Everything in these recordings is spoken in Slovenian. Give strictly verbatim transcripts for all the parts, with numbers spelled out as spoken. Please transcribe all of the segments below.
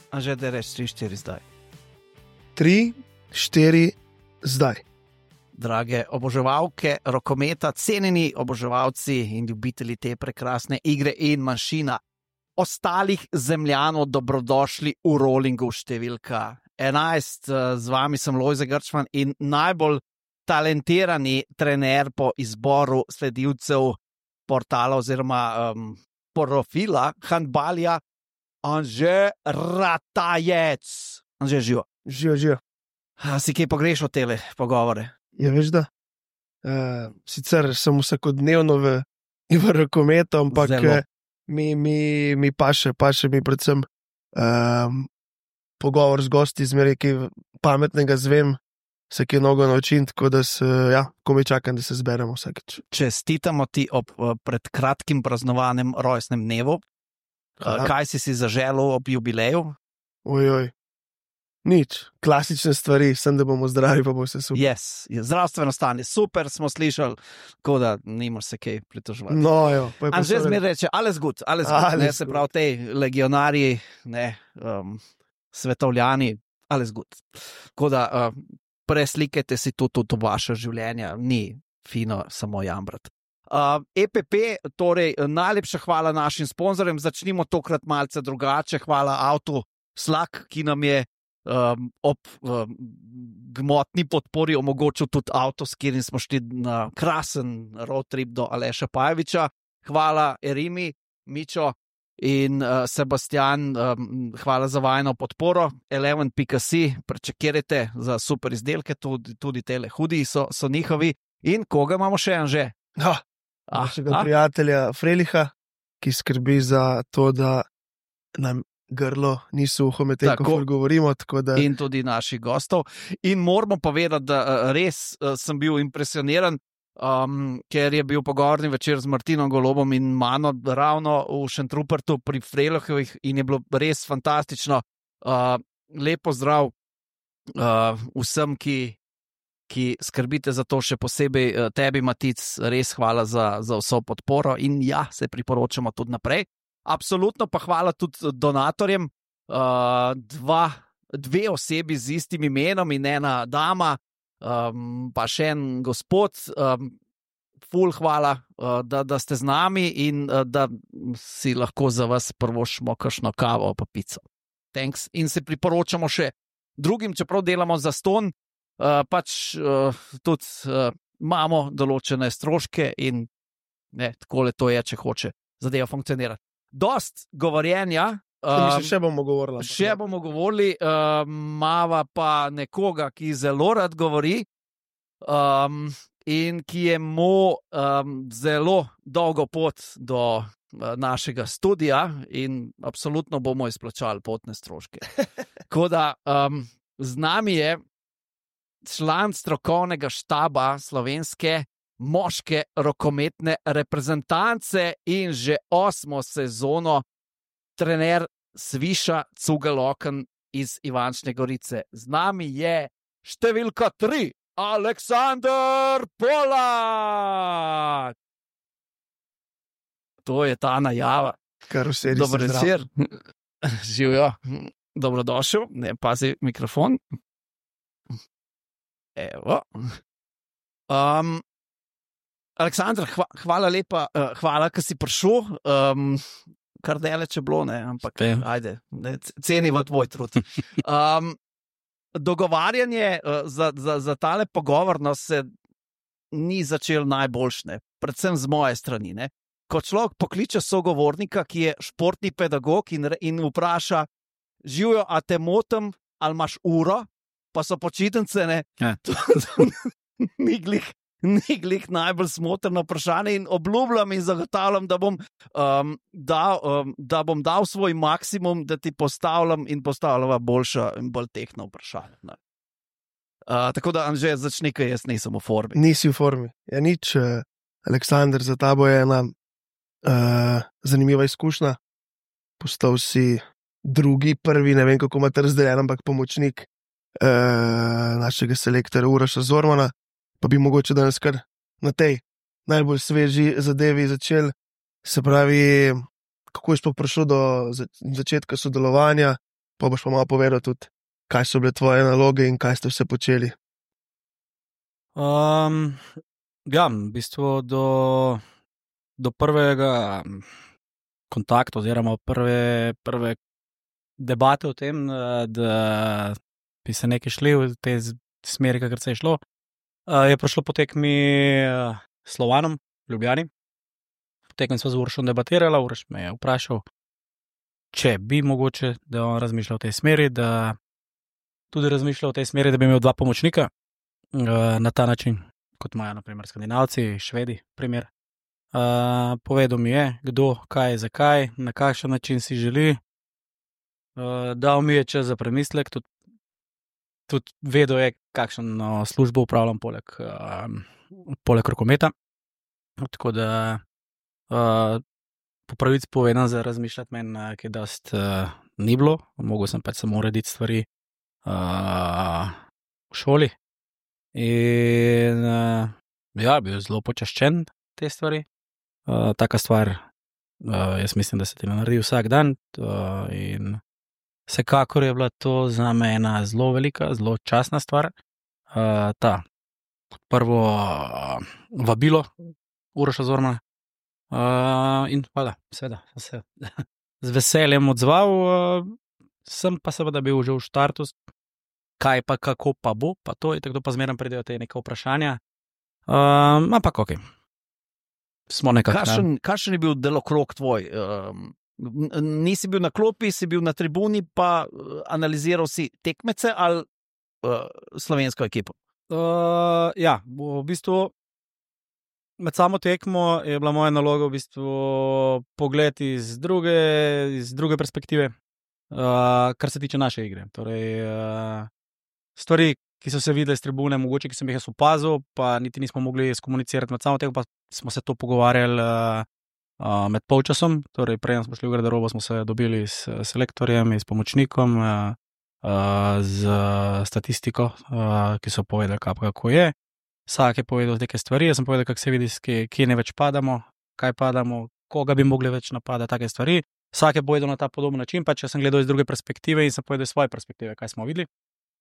A že da reč tri štiri zdaj. tri štiri zdaj. Drage oboževalke rokometa, cenjeni oboževalci in ljubitelji te prekrasne igre in manjšina ostalih zemljanov, dobrodošli v Rollingu številka enajst. Z vami sem Lojze Grčman in najbolj talentirani trener po izboru sledilcev portala oziroma um, profila handbalja, Anže Ratajec. Anže, živo. Živo, živo. A, si kaj pogrešal tele pogovore? Ja, veš da. Uh, sicer sem vsakodnevno v, v rokometu, ampak Zelo. mi, mi, mi paše, paše mi predvsem um, pogovor z gosti, zmeraj kaj pametnega zvem, se kaj mnogo naučim, tako da se, ja, komaj čakam, da se zberemo vsakeč. Čestitamo ti ob pred kratkim praznovanem rojstnem dnevu. Aha. Kaj si si zaželel ob jubileju? Ojoj. Nič, klasične stvari, sem da bomo zdravi, pa bo vse super. Yes, zdravstveno stanje, super smo slišali, tako da nimaš se kaj pritoževati. No, jo, pa je pa Anže vse zmeraj reče, alles gut, alles gut, Alles ne, se gut. pravi, tej legionarji, ne, um, svetovljani, alles gut. Tako da uh, preslikajte si tudi to vaše življenje, ni fino samo jambrat. Uh, E P P, torej najlepša hvala našim sponzorjem, začnimo tokrat malce drugače, hvala Avtu Slak, ki nam je um, ob um, gmotni podpori omogočil tudi avto, s katerim smo šli na krasen road trip do Aleša Pajeviča. Hvala Erimi, Mičo in uh, Sebastian, um, hvala za vajno podporo. eleven pika si, prečekirajte za super izdelke, tudi, tudi tele hudi so, so njihovi. In koga imamo še, Anže? Ja, Ah, našega ah, prijatelja Freliha, ki skrbi za to, da nam grlo ni suho medtem, ko Tako. ful govorimo, tako da in tudi naših gostov. In moramo povedati, da uh, res uh, sem bil impresioniran, um, ker je bil pogovorni večer z Martinom Golobom in mano ravno v Šentrupertu pri Frelihovih in je bilo res fantastično. Uh, lep pozdrav uh, vsem, ki ki skrbite za to, še posebej tebi, Matic, res hvala za, za vso podporo in ja, se priporočamo tudi naprej. Absolutno pa hvala tudi donatorjem, uh, dva, dve osebi z istim imenom in ena dama, um, pa še en gospod, um, ful hvala, uh, da, da ste z nami in uh, da si lahko za vas prvošmo kakšno kavo pa pico. Thanks. In se priporočamo še drugim, čeprav delamo za ston, Uh, pač uh, tudi uh, imamo določene stroške in ne, takole to je, če hoče zadeva funkcionirati. Dost govorjenja, um, um, še bomo govorili. še bomo govorili, uh, mava pa nekoga, ki zelo rad govori um, in ki je mu um, zelo dolgo pot do uh, našega studija in absolutno bomo izplačali potne stroške. Tako da um, z nami je član strokovnega štaba slovenske moške rokometne reprezentance in že osmo sezono trener Sviša Cugeloken iz Ivančne Gorice. Z nami je številka tri, Aleksander Polak. To je ta najava. Kar vse res Dober večer. Živijo. Dobrodošel. Ne, pazi mikrofon. Evo. Um, Aleksandr, hva, hvala lepa, uh, hvala, ker si prišel. Um, kar daleč je bilo, ne, ampak Te. ajde, ne, cenimo tvoj trud. Um, dogovarjanje uh, za, za, za tale pogovor no, se ni začel najboljšne, predvsem z moje strani. Ne. Ko človek pokliče sogovornika, ki je športni pedagog in, re- in vpraša, živijo, a te motim, ali imaš uro? Pa so počitnice, ne. Ja. To, to, ni glih, ni glih najbolj smotrno vprašanje in obljubljam in zagotavljam, da bom, um, dal, um, da bom dal svoj maksimum, da ti postavljam in postavljava boljša in bolj tehna vprašanja. Ne. Uh, tako da, Anže, začni, ker jaz nisem v formi. Nisi v formi. Ja, nič, uh, Aleksandr, za tabo je ena uh, zanimiva izkušnja. Postal si drugi, prvi, ne vem, kako imate razdeljen, ampak pomočnik uh, našega selektorja Uroša Zormana, pa bi mogoče danes kar na tej najbolj sveži zadevi začel. Se pravi, kako je sploh prišlo do za, začetka sodelovanja, pa boš pa malo povedal tudi, kaj so bile tvoje naloge in kaj ste vse počeli. Um, ja, v bistvu do, do prvega kontakta oziroma prve, prve debate o tem, da bi se nekaj šli v te smeri, kakor se je šlo, je prišlo po tekmi s Slovanom v Ljubljani. Po tekmi sva z Urošem debatirala, Uroš me je vprašal, če bi mogoče, da on razmišlja v tej smeri, da tudi razmišlja v tej smeri, da bi imel dva pomočnika na ta način, kot imajo naprimer Skandinavci, Švedi, primer. Uh, povedal mi je, kdo, kaj, zakaj, na kakšen način si želi. Uh, dal mi je čas za premislek, tudi, tudi vedel je, kakšno službo upravljam poleg, uh, poleg rokometa. Tako da uh, po pravici povedano za razmišljati meni, ki je dost uh, ni bilo. Mogel sem pač samo urediti stvari uh, v šoli. In uh, ja, bil zelo počaščen te stvari. Uh, taka stvar, uh, jaz mislim, da se ti ne naredi vsak dan uh, in vsekakor je bila to za me ena zelo velika, zelo častna stvar. Uh, ta prvo uh, vabilo Uroša Zormana uh, in hvala, seveda, sem se z veseljem odzval, uh, sem pa seveda bil že v štartu, kaj pa, kako pa bo, pa to je tako, pa zmeraj pridejo te neke vprašanja, uh, ampak ok. Smo nekako. Kakšen, kakšen je bil delokrog tvoj? Um, nisi bil na klopi, si bil na tribuni, pa analiziral si tekmece ali uh, slovensko ekipo? Uh, ja, v bistvu med samo tekmo je bila moja naloga v bistvu pogled iz druge, iz druge perspektive, uh, kar se tiče naše igre. Torej, uh, stvari, ki so se videli z tribune, mogoče, ki sem jih jaz opazil, pa niti nismo mogli skomunicirati med samo tekmo, pa smo se to pogovarjali uh, uh, med polčasom, torej prej smo šli v garderobo, smo se dobili s selektorjem, s pomočnikom, uh, uh, z statistiko, uh, ki so povedali, kako je. Vsak je povedal neke stvari, jaz sem povedal, kako se vidi, kje, kje ne več padamo, kaj padamo, koga bi mogli več napadati, take stvari. Vsak je povedal na ta podoben način, pa če sem gledal iz druge perspektive in sem povedal iz svoje perspektive, kaj smo videli.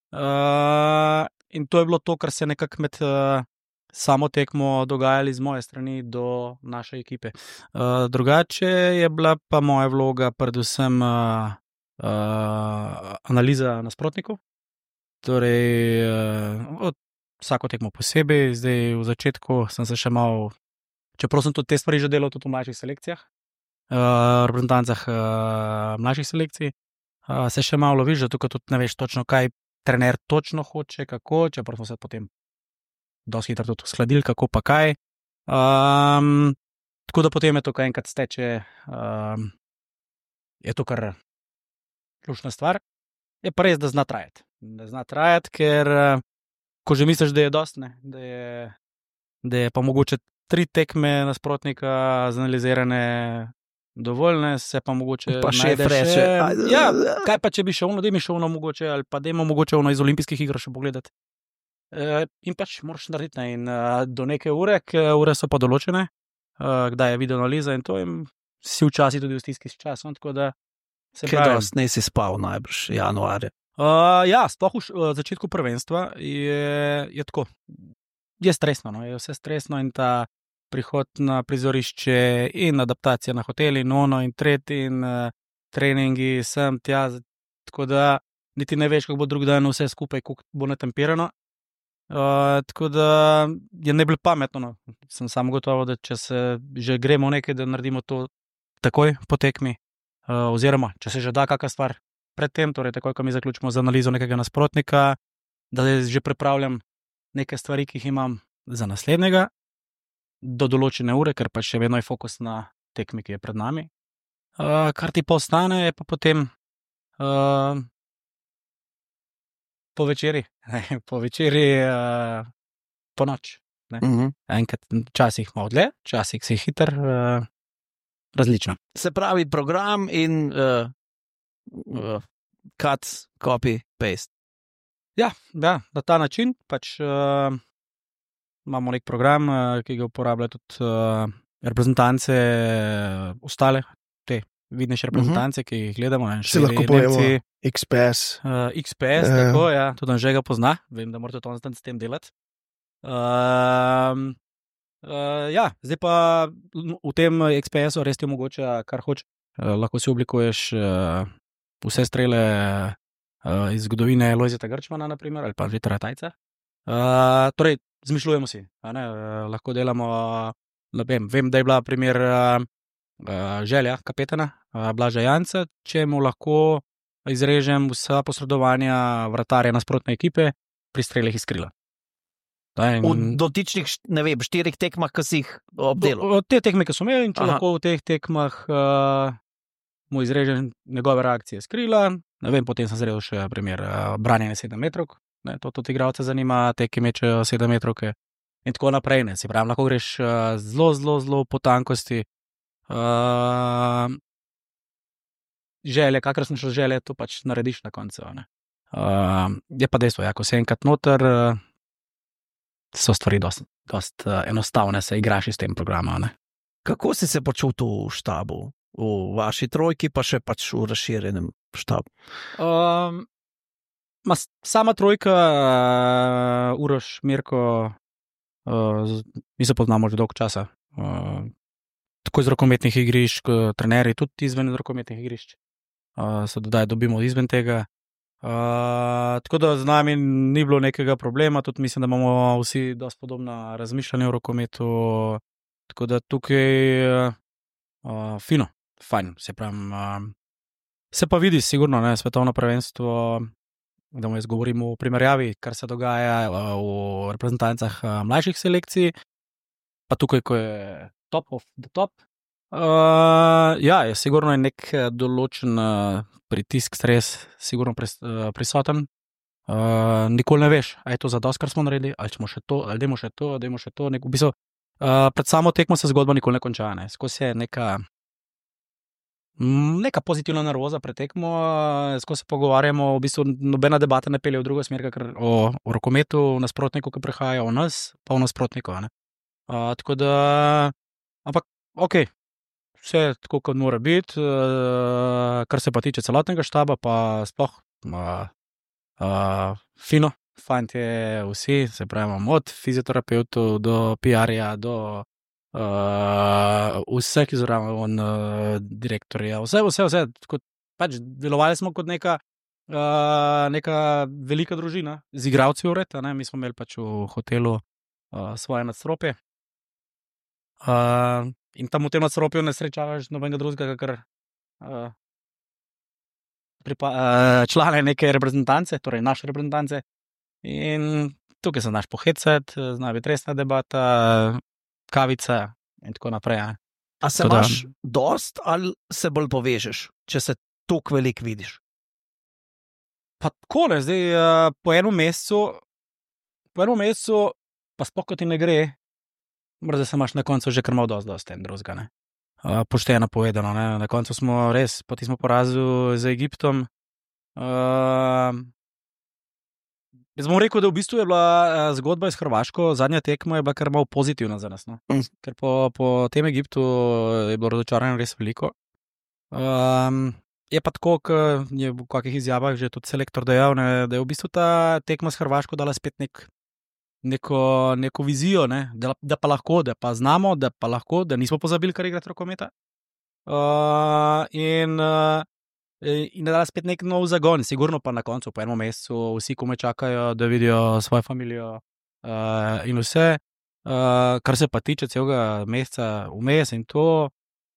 Uh, in to je bilo to, kar se je nekako med uh, samo tekmo dogajali z moje strani do naše ekipe. Uh, drugače je bila pa moja vloga predvsem uh, uh, analiza nasprotnikov. Torej, uh, vsako tekmo posebej, zdaj v začetku sem se še malo, čeprav sem tudi te stvari že delal tudi v mlajših selekcijah, uh, reprezentancah uh, mlajših selekcij, uh, se še malo loviš, zato tudi ne veš točno, kaj trener točno hoče, kako, čeprav smo se potem dosti hitro tudi uskladili, kako pa kaj. Um, tako da potem je to, kaj enkrat steče, um, je to kar ključna stvar. Je pa res, da zna trajati. Da zna trajati, ker ko že misliš, da je dost, ne, da je, da je pa mogoče tri tekme nasprotnika zanalizirane dovoljne, se pa mogoče pa še freše. Ja, kaj pa, če bi še ono, da mi še ono mogoče, ali pa da ima mogoče ono iz olimpijskih iger še pogledati. E, in pač moraš narediti, ne, in uh, do neke ure, ker ure so pa določene, uh, kdaj je video analiza in to, in si včasih tudi v stiski s časom, tako da se pravi. Kaj dost ne si spal najbrž januarja? Uh, ja, sploh v uh, začetku prvenstva je, je tako, je stresno, no, je vse stresno in ta prihod na prizorišče in adaptacija na hoteli in ono in tretji in uh, treningi sem tja, tako da niti ne veš, kako bo drug dan vse skupaj, kako bo natempirano. Uh, tako da je ne bilo pametno, no. Sem samo gotovo, da če se že gremo nekaj, da naredimo to takoj po tekmi, uh, oziroma če se že da kakšna stvar pred tem, torej takoj, ko mi zaključimo z analizo nekega nasprotnika, da že pripravljam neke stvari, ki jih imam za naslednjega, do določene ure, ker pa še vedno je fokus na tekmi, ki je pred nami. Uh, kar ti pa ostane, je pa potem uh, po večeri, po večeri uh, po noč. Ne? Uh-huh. Enkrat časih malo dlje, časih si hiter, uh, različno. Se pravi program in uh, uh, cut, copy, paste. Ja, ja, na ta način pač uh, imamo nek program, uh, ki ga uporabljajo tudi uh, reprezentance uh, ostale, te vidnejše reprezentance, uh -huh. ki jih gledamo. Ne, Se lahko pojemo X P S. Uh, X P S, uh. tako, ja, tudi on že ga pozna, vem, da morate to on s tem delati. Uh, uh, ja, zdaj pa v tem X P S-u res ti omogoča, kar hoče. Uh, lahko si oblikuješ uh, vse strele uh, iz zgodovine Lojzeta Grčmana, naprimer, ali pa Vitara Tajca. Uh, torej, zmišljujemo si, a ne, uh, lahko delamo, uh, vem, vem, da je bila primer uh, uh, želja kapetana uh, Blaža Janca, če mu lahko izrežem vsa posredovanja vratarja nasprotne ekipe pri strelih iz krila. In... V dotičnih, ne vem, štirih tekmah, ki si jih obdelal. Od te tekme, ki so imeli, in če Aha. lahko v teh tekmah uh, mu izrežem njegove reakcije iz krila, ne vem, potem sem zredil še primer uh, branjenja sedem metrov, ne, to tudi igralce zanima, te, ki mečejo sedem metrovke in tako naprej, ne, si pravim, lahko greš uh, zelo, zelo, zelo po tankosti. Uh, želje, kakor sem šel želje, to pač narediš na koncu. Uh, je pa dejstvo, ja, ko se enkrat noter, uh, so stvari dost, dost uh, enostavne, se igraš s tem programom. Ne? Kako si se počutil v štabu, v vaši trojki, pa še pač v razširjenem štabu? Um, ma, sama trojka, uh, Uroš, Mirko, uh, mi se poznamo že dolgo časa. Uh, tako iz rokometnih igrišč, trenerji tudi izven rokometnih igrišč. Uh, se dodaj dobimo izven tega. Uh, tako da z nami ni bilo nekega problema, tudi mislim, da imamo vsi dosti podobna razmišljanja o rokometu, tako da tukaj uh, uh, fino, fajn, se pravim. Uh, se pa vidi sigurno, ne, svetovno prvenstvo, da mu jaz govorim o primerjavi, kar se dogaja uh, v reprezentancah uh, mlajših selekcij, pa tukaj, ko je top of the top. Uh, ja, je sigurno je nek določen uh, pritisk, stres, sigurno pris, uh, prisoten. Uh, nikoli ne veš, a je to za dost, kar smo naredili, ali smo še to, ali dajmo še to, dajmo še to. Nek, v bistvu, uh, pred samo tekmo se zgodba nikoli ne konča. Ne. Skozi je neka, neka pozitivna nervoza pred tekmo, uh, skozi se pogovarjamo, v bistvu nobena debata ne pelje v drugo smer, ker o, o rokometu, o nasprotniku, ki prihaja, o nas, pa o nasprotniku. Uh, tako da, ampak, okej. Okay. Vse tako, kot mora biti, uh, kar se pa tiče celotnega štaba, pa sploh uh, uh, fino, fantje vsi, se pravimo, od fizioterapeutov do P R-ja, do uh, vseh izraven uh, direktorja, vse, vse, vse, kot, pač delovali smo kot neka, uh, neka velika družina, z igralci vred, mi smo imeli pač v hotelu uh, svoje nadstropje. Uh, In tam v tem nadstropju ne srečavaš nobenega drugega, kar uh, uh, člane neke reprezentance, torej naše reprezentance. In tukaj se znaš pohecati, zna biti resna debata, kavica in tako naprej. Ne? A se Toda, imaš dost ali se bolj povežeš, če se toliko veliko vidiš? Pa tako ne, zdaj uh, po enem mesecu, po enem mesecu pa sploh ko ti ne gre, morda se imaš na koncu že kar malo dosti, dosti en drugega. Uh, pošteno povedano, ne? Na koncu smo res, poti smo porazili z Egiptom. Uh, jaz bom rekel, da v bistvu je bila uh, zgodba iz Hrvaško, zadnja tekma je bila kar malo pozitivna za nas. No? Mm. Ker po, po tem Egiptu je bilo razočaranje res veliko. Um, je pa tako, kot je v kakih izjavah že tudi selektor dejal, ne? Da je v bistvu ta tekma s Hrvaško dala spet nek Neko, neko vizijo, ne? da, da pa lahko, da pa znamo, da pa lahko, da nismo pozabili, kar igrati rokometa. Uh, in uh, in da da spet nek nov zagon, sigurno pa na koncu, po enem mesecu, vsi kome čakajo, da vidijo svojo familijo uh, in vse. Uh, kar se pa tiče celega meseca vmes in to,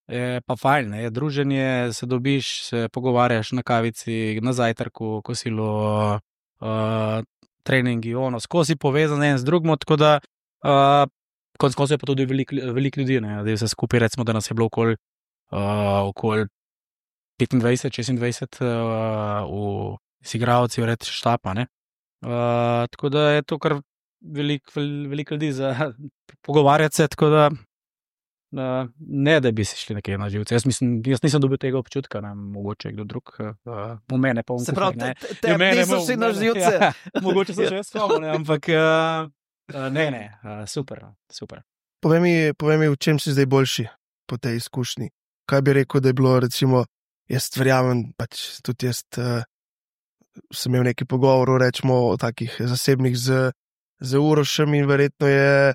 je pa fajn, ne? Druženje, se dobiš, se pogovarjaš na kavici, na zajtrku, kosilo, uh, treningi, ono, skozi povezan en z drugim, tako da uh, konec koncev je pa tudi veliko velik ljudi, ne, da je vse skupaj, recimo, da nas je bilo okoli uh, okoli petindvajset šestindvajset uh, v igralci, vred štapa, ne. Uh, tako da je to kar veliko velik ljudi za pogovarjati se, tako da uh, ne, da bi se šli nekaj na živce. Jaz mislim, jaz nisem dobil tega občutka, ne, mogoče kdo drug, uh, v mene pa v Se pravi, ne. te, te niso vsi na živce. Ja, mogoče sem še jaz spomnil, ampak uh, uh, ne, ne, uh, super, super. Povej mi, povej mi, v čem si zdaj boljši po tej izkušnji? kaj bi rekel, da je bilo, recimo, jaz verjamem, pač tudi jaz uh, sem imel nekaj pogovorov, rečemo, o takih zasebnih z, z Urošem in verjetno je,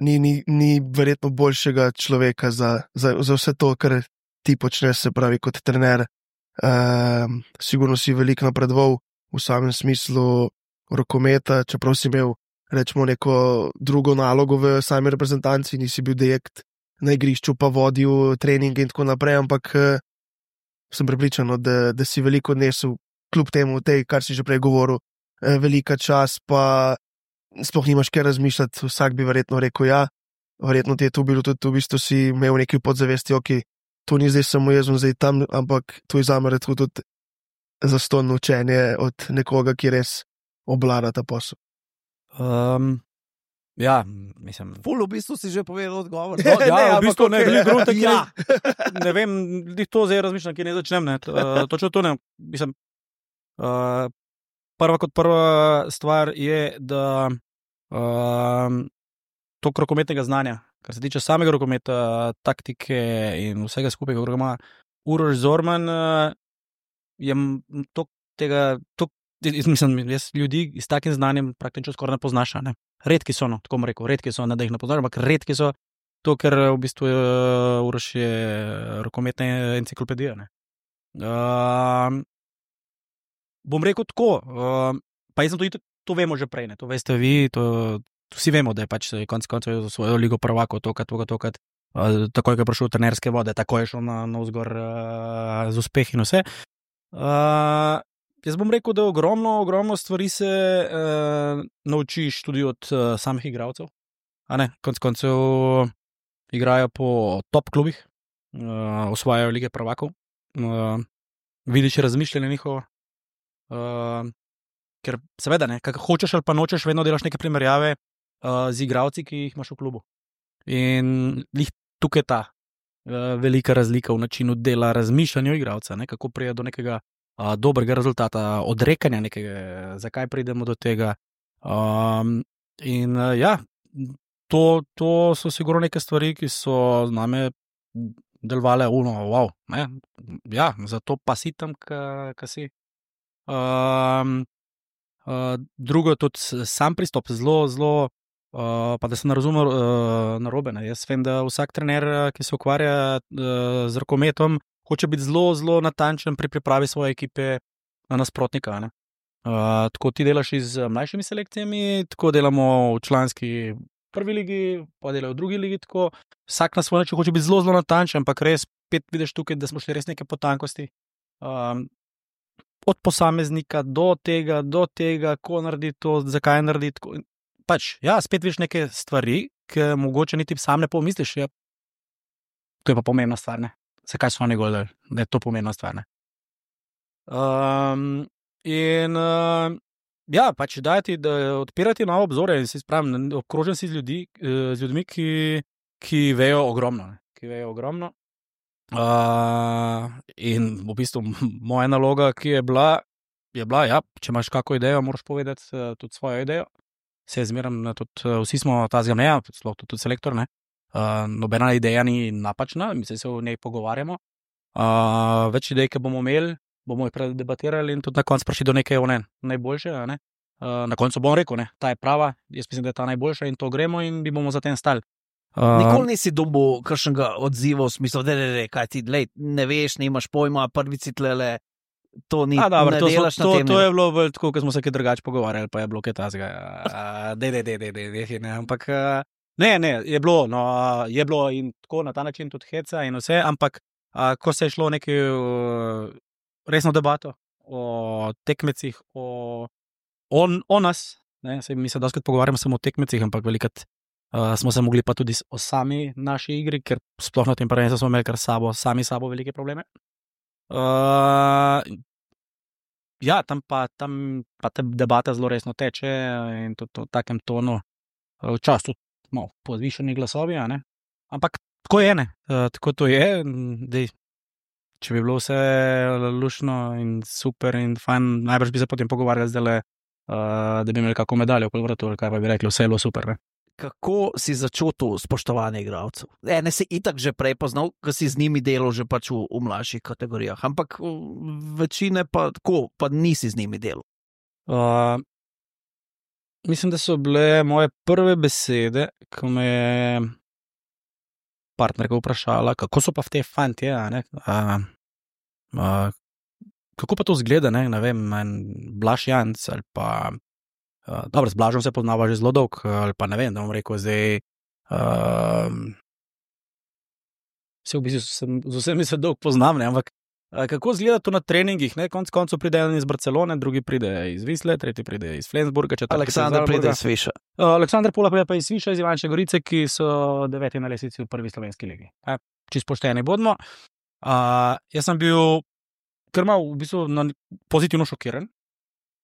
ni, ni, ni verjetno boljšega človeka za, za, za vse to, kar ti počneš, se pravi, kot trener. Uh, sigurno si veliko napredoval v samem smislu rokometa, čeprav si imel, rečemo, neko drugo nalogo v sami reprezentanci, nisi bil direkt na igrišču, pa vodil treninge in tako naprej, ampak uh, sem prepričan, da, da si veliko odnesel, kljub temu, tej, kar si že prej govoril, uh, velika čas, pa sploh nimaš kaj razmišljati, vsak bi verjetno rekel ja, verjetno ti je to bilo tudi, v bistvu si imel nekaj podzavesti, ok, to ni zdaj samo jaz, zdaj tam, ampak to je zame redko tudi zastonj učenje od nekoga, ki res obvlada ta posel. Um, ja, mislim. Ful, v bistvu si že povedal odgovor. No, ja, ne, v bistvu ne, okay. ne, grutek, ja. ne, ne vem, to zdaj razmišljam, kje ne začnem, ne, točno to ne, mislim, uh, prva kot prva stvar je, da uh, tok rokometnega znanja, kar se tiče samega rokometa, taktike in vsega skupaj, kako ima Uroš Zorman, uh, je tok tega, tok, jaz mislim, jaz ljudi s takim znanjem praktično skoraj ne poznaš, ne. Redki so, no, tako bom rekel, redki so, ne da jih ne poznaš, ampak redki so to, ker v bistvu uh, Uroš je rokometna enciklopedija, ne. Uh, bom rekel tako, uh, pa jaz sem to, to vemo že prej, ne, to veste vi, to, to vsi vemo, da je pač konec koncev za svojo ligo prvako, tokat, tokat, tokat, uh, takoj, ko je prišel v trenerske vode, takoj je šel na, na vzgor uh, z uspehi in vse. Uh, jaz bom rekel, da ogromno, ogromno stvari se uh, naučiš tudi od uh, samih igralcev. A ne, konec koncev igrajo po top klubih, uh, osvajajo lige prvakov, uh, vidiš razmišljanje njihovo, uh, ker seveda ne, kak hočeš ali pa nočeš, vedno delaš neke primerjave uh, z igralci, ki jih imaš v klubu. In lih tukaj ta uh, velika razlika v načinu dela, razmišljanja igralca, ne, kako pride do nekega uh, dobrega rezultata, odrekanja nekega, zakaj pridemo do tega. Um, in uh, ja, to, to so sigurno neke stvari, ki so z nami delovale, uno, wow, ne, ja, zato pa si tam, ka si. Um, uh, drugo je tudi sam pristop, zelo, zelo, uh, pa da se ne razume uh, narobe. Ne. Jaz vem, da vsak trener, ki se ukvarja uh, z rokometom, hoče biti zelo, zelo natančen pri pripravi svoje ekipe na nasprotnika. Ne. Uh, tako ti delaš z mlajšimi selekcijami, tako delamo v članski prvi ligi, pa delajo v drugi ligi, tako vsak na svoj način hoče biti zelo, zelo natančen, ampak res spet vidiš tukaj, da smo šli res neke potankosti. Um, od posameznika do tega, do tega, ko naredi to, zakaj naredi tako. Pač, ja, spet vidiš neke stvari, ki mogoče niti sam ne pomisliš. Ja. To je pa pomembna stvar, ne. Zakaj so oni gledali, da je to pomembna stvar, ne. Um, in uh, ja, pač dajati, da odpirati nove obzore in si spravim, obkrožen si z, ljudi, z ljudmi, ki, ki vejo ogromno, ne. Ki vejo ogromno. Uh, in v bistvu moja naloga, ki je bila, je bila, ja, če imaš kako idejo, moraš povedati uh, tudi svojo idejo. Se zmeram, tudi uh, vsi smo ta zgamneja, sploh tudi, tudi selektor, ne. Uh, nobena ideja ni napačna, mi se v njej pogovarjamo. Uh, več idej, ki bomo imeli, bomo jih predebatirali in tudi na koncu prišli do neke ne, najboljše, ne. Uh, na koncu bom rekel, ne, ta je prava, jaz mislim, da je ta najboljša in to gremo in bi bomo za tem stali. Uh, Nikoli nisi dobil kakšnega odziva v smislu, da ne, ne, kaj ti, lej, ne veš, nimaš pojma, prvici tlele, to ni, a, dobro, ne to delaš smo, na to, tem. To je bilo bolj tako, ko smo se kaj drugače pogovarjali, pa je bilo kaj tazga. Dej, dej, dej, dej, dej, dej, ne, ampak ne, ne, je bilo, no, je bilo in tako na ta način tudi heca in vse, ampak a, ko se je šlo nekaj resno debato o tekmecih, o, o, o nas, ne, se mi se doskrat pogovarjamo samo o tekmecih, ampak velikrat Uh, smo se mogli pa tudi o sami naši igri, ker sploh na tem prvenstvu smo imeli kar sabo, sami sabo velike probleme. Uh, ja, tam pa, tam pa ta debata zelo resno teče in tudi v takem tonu. Včasih tudi malo podvišeni glasovi, ne? Ampak tako je, ne? Uh, tako to je. Dej, če bi bilo vse lušno in super in fajn, najbrž bi se potem pogovarjali zdaj, uh, da bi imeli kako medaljo okoli vratu, ali kaj pa bi rekli, vse je bilo super, ne? kako si začel to spoštovanje igralcev? Ene si itak že prej poznal, ker si z njimi delal že pač v, v mlajših kategorijah, ampak večine pa tako, pa nisi z njimi delal. Uh, mislim, da so bile moje prve besede, ko me je partnerka vprašala, kako so pa v te fantje, a ne? Uh, uh, kako pa to zgleda, ne, ne vem, Blaž Janc ali pa Uh, dobro, z Blažom se poznava že zelo dolg, ali pa ne vem, da bom rekel zdaj. Uh, vse v bistvu sem, z vsemi se dolg poznam, ne, ampak uh, kako izgleda to na treningih, ne, konc koncev pride en iz Barcelone, drugi pride iz Visle, tretji pride iz Flensburga, četrti Aleksandar pride iz Sviša. Uh, Aleksandar Pola pride pa iz Sviša, iz Ivančne Gorice, ki so deveti na lestvici v prvi slovenski ligi. Eh, čisto pošteni bodimo. Uh, jaz sem bil kar mal v bistvu na, pozitivno šokiran.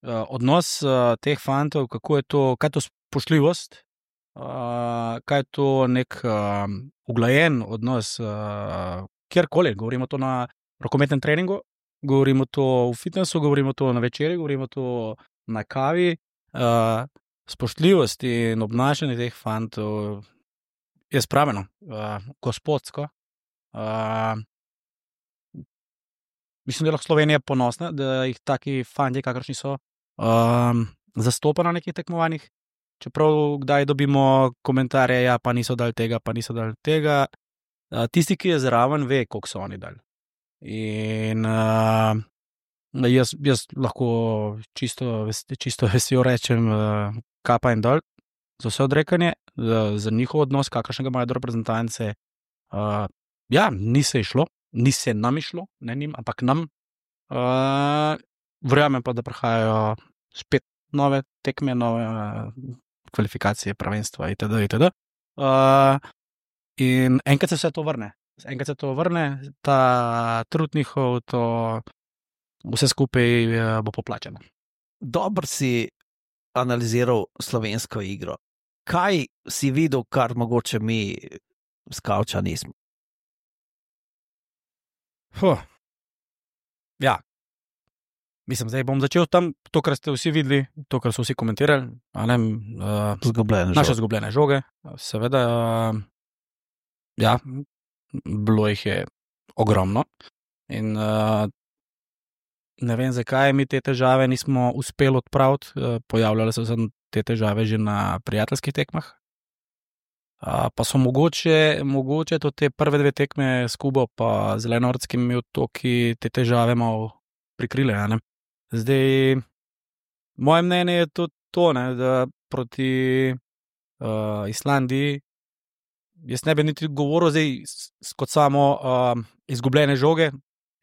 Uh, odnos uh, teh fantov, kako je to, kaj je to spoštljivost, uh, kaj je to nek uh, uglajen odnos, uh, kjerkoli, govorimo to na rokometnem treningu, govorimo to v fitnessu, govorimo to na večerji, govorimo to na kavi. Uh, spoštljivost in obnašanje teh fantov je spravljeno, uh, gospodsko. Uh, mislim, da je lahko Slovenija ponosna, da jih taki fantje, kakršni so, Um, zastopa na nekih tekmovanjih, čeprav kdaj dobimo komentarje, ja, pa niso dali tega, pa niso dali tega. Uh, tisti, ki je zraven, ve, koliko so oni dali. In uh, jaz, jaz lahko čisto, čisto vesel rečem, uh, kapa in dol za vse odrekanje, za, za njihov odnos, kakršnega imajo do reprezentance. Uh, ja, ni se išlo, ni se nam išlo, ne njim, ampak nam. Uh, Verjamem pa, da prihajajo spet nove tekme, nove uh, kvalifikacije, prvenstva itd. itd. Uh, in enkrat se vse to vrne. Enkrat se to vrne, ta trud njihov, to vse skupaj uh, bo poplačeno. Dobro si analiziral slovensko igro. Kaj si videl, kar mogoče mi s kavča nismo? Huh. Ja. Mislim, zdaj bom začel tam, to, kar ste vsi videli, to, kar so vsi komentirali, ne, uh, zgubljene naše žoge. zgubljene žoge, seveda, uh, ja, bilo jih je ogromno in uh, ne vem, zakaj mi te težave nismo uspeli odpraviti, uh, pojavljale so se te težave že na prijateljskih tekmah, uh, pa so mogoče, mogoče to te prve dve tekme s Kubo pa Zelenortskimi otoki te težave malo prikrile, ne. Zdaj, moje mnenje je tudi to, ne, da proti uh, Islandiji jaz ne bi niti govoril zdaj kot samo uh, izgubljene žoge,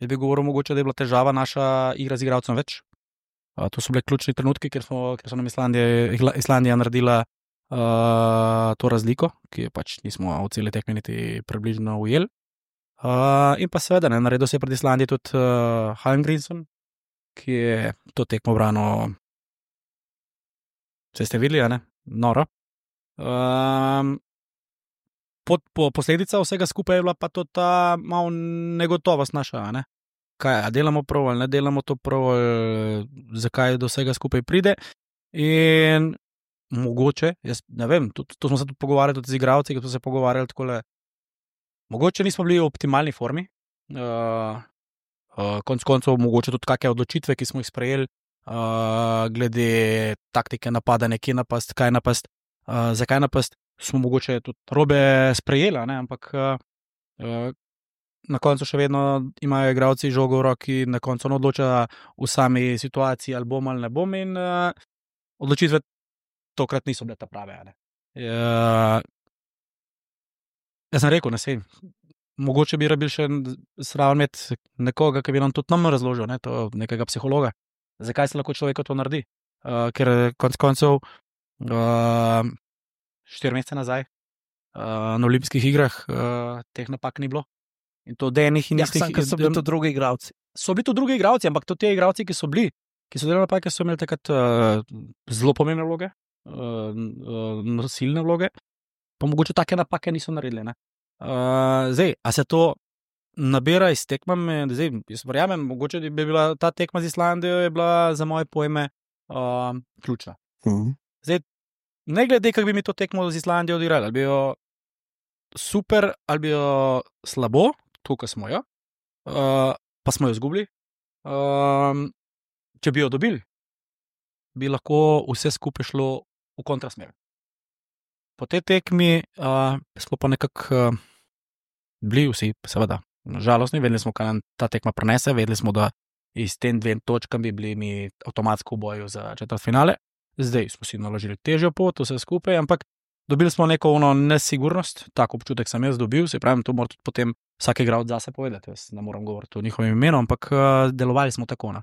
jaz bi govoril mogoče, da je bila težava naša igra z igralcem več. Uh, to so bile ključni trenutki, ker, smo, ker so nam Islandija, Islandija naredila uh, to razliko, ki je pač nismo v celi tekmi niti približno ujeli. Uh, in pa seveda, ne, naredil se je pred Islandijo tudi uh, Hallengrimsson, ki je to tekmo branil, vse ste videli, ne? Noro. Um, pod, po, posledica vsega skupaj je bila pa to ta malo negotovost naša, ne? Kaj, a delamo prav ali ne delamo to prav, ali zakaj do vsega skupaj pride. In mogoče, jaz ne vem, to, to smo se tudi pogovarjali tudi z igralci, ki smo se pogovarjali takole, mogoče nismo bili v optimalni formi, uh, uh, konc koncev mogoče tudi kakšne odločitve, ki smo jih sprejeli, uh, glede taktike napadanja, kje napast, kaj napast, uh, zakaj napast, smo mogoče tudi robe sprejeli, ne? Ampak uh, uh, na koncu še vedno imajo igralci žogo v roki, na koncu ne odloča v sami situaciji, ali bom ali ne bom, in uh, odločitve tokrat niso bile ta prave. Ne? Uh, jaz sem rekel, ne sej, mogoče bi rabil še sraven imeti nekoga, ki bi nam tudi nam razložil, ne, to nekega psihologa, zakaj se lahko človeka to naredi. Uh, ker konc koncev uh, štiri mesece nazaj uh, na olimpijskih igrah uh, teh napak ni bilo. In to denih in istih. Ja, ker so bili to drugi igralci. So bili to drugi igralci, ampak to te igralci, ki so bili, ki so delali napake, so imeli takrat uh, zelo pomembne vloge, uh, uh, nosilne vloge, pa mogoče take napake niso naredili, ne. Uh, zdaj, a se to nabira iz tekmami, zdaj, jaz verjamem, mogoče bi bila ta tekma z Islandijo je bila za moje pojme uh, ključna. Mhm. Zdaj, ne glede, kako bi mi to tekmo z Islandijo odigrali, ali bi jo super, ali bi jo slabo, tukaj smo jo, uh, pa smo jo izgubili. Um, če bi jo dobili, bi lahko vse skupaj šlo v kontrasmer. Po tej tekmi uh, smo pa nekako uh, bili vsi, seveda, žalostni, vedeli smo, kaj nam ta tekma prenese, vedeli smo, da iz tem dvem točkam bi bili mi avtomatsko v boju za četrtfinale. Zdaj smo si naložili težjo pot, vse skupaj, ampak dobili smo neko ono nesigurnost, tako občutek sem jaz dobil, se pravim, to mora tudi potem vsak igralec zase povedati, jaz ne moram govoriti o njihovem imenu, ampak uh, delovali smo tako. Uh,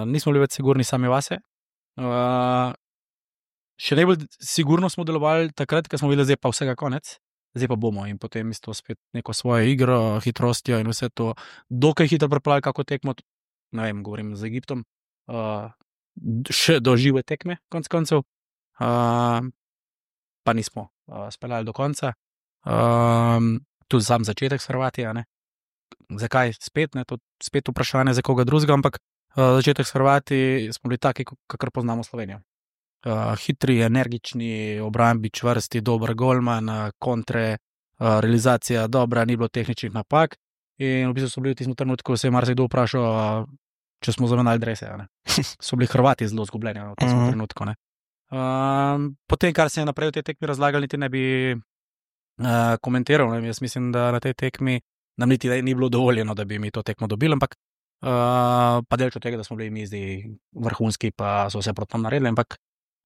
nismo bili več sigurni sami vase. Uh, še najbolj sigurno smo delovali takrat, ko smo videli, zdaj pa vsega konec, zdaj pa bomo in potem isto spet neko svojo igro, hitrostjo in vse to, dokaj hitro prepravili kako tekmo, ne vem, govorim z Egiptom, uh, še do žive tekme, konc koncev, uh, pa nismo uh, speljali do konca. Um, tudi sam začetek s Hrvatija, ne. Zakaj spet, ne, to spet vprašanje za koga drugega, ampak uh, začetek s Hrvati smo bili taki, kakor poznamo Slovenijo. Uh, hitri, energični, obrambi čvrsti, dober golman, uh, kontre, uh, realizacija dobra, ni bilo tehničnih napak in v bistvu so bili v tistem trenutku, se je marsikdo vprašal, uh, če smo zamenjali drese. So bili Hrvati zelo zgubljeni v tem uh-huh. trenutku. Ne. Um, potem, kar se je naprej v tej tekmi razlagali, niti ne bi uh, komentiral. Ne. Jaz mislim, da na tej tekmi nam niti ni bilo dovoljeno, da bi mi to tekmo dobili, ampak uh, pa delč od tega, da smo bili mi zdaj vrhunski, pa so vse proti nam naredili, ampak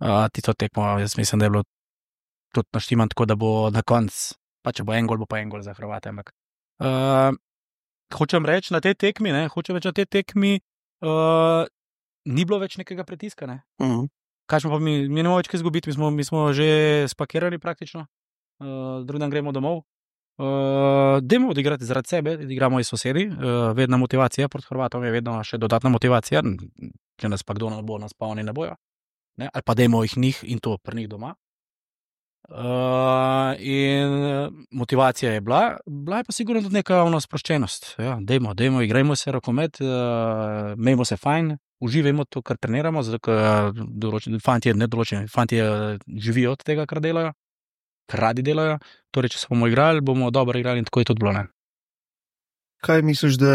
uh, tisto tekmo, jaz mislim, da je bilo tudi naštiman tako, da bo na koncu, pa če bo en gol, bo pa en gol za Hrvate, ampak uh, hočem reči na tej tekmi, ne, hočem reči na tej tekmi, uh, ni bilo več nekega pritiska, ne. Mhm. Kaj smo pa mi, mi ne moramo več kaj izgubiti, mi smo, mi smo že spakirali praktično, uh, drugi dan gremo domov. Uh, dajmo odigrati zaradi sebe, igramo iz sosedi, uh, vedna motivacija proti Hrvatom je vedno še dodatna motivacija, če nas pa kdo ne bo, nas pa oni ne bojo, ne? Ali pa dajmo jih njih in to pri njih doma. Uh, in motivacija je bila, bila je pa sigurno tudi neka ono sproščenost, ja, dajmo, dajmo, igrajmo se rokomet, uh, imejmo se fajn, uživajmo to, kar treniramo, zato ker določeni fantje, ne določeni, fantje živijo od tega, kar delajo, kar radi delajo, torej, če se bomo igrali, bomo dobro igrali in tako je tudi bilo, ne. Kaj misliš, da,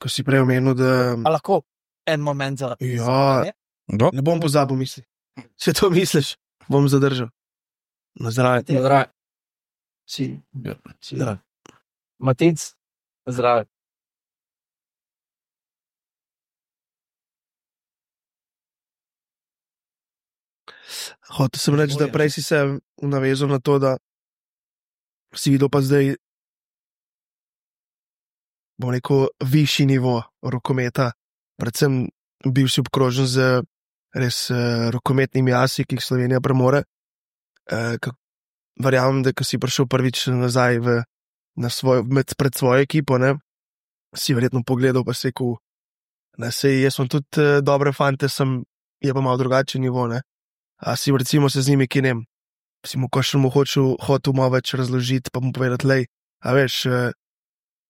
ko si prej omenil, da... A lahko en moment za... Ja, Do? ne bom pozabil misli. Če to misliš, bom zadržal. Na zdravje. Na zdravje. Si. Ja. Si zdrav. Matic, zdrav. Hotel sem reči, da prej si se navezal na to, da si videl pa zdaj, bom rekel, višji nivo rokometa, predvsem bil si obkrožen z res uh, rokometnimi asi, ki jih Slovenija premore. Uh, kak, verjamem, da ko si prišel prvič nazaj v, na svoj, med, pred svojo ekipo, ne, si verjetno pogledal pa se rekel, da sej, jaz sem tudi uh, dobre fante, sem, je pa malo drugačen nivo, ne. A si recimo se z njimi, ki ne, si mu kakšen mu hočel, hotel malo več razložiti, pa mu povedati, lej, a veš, uh,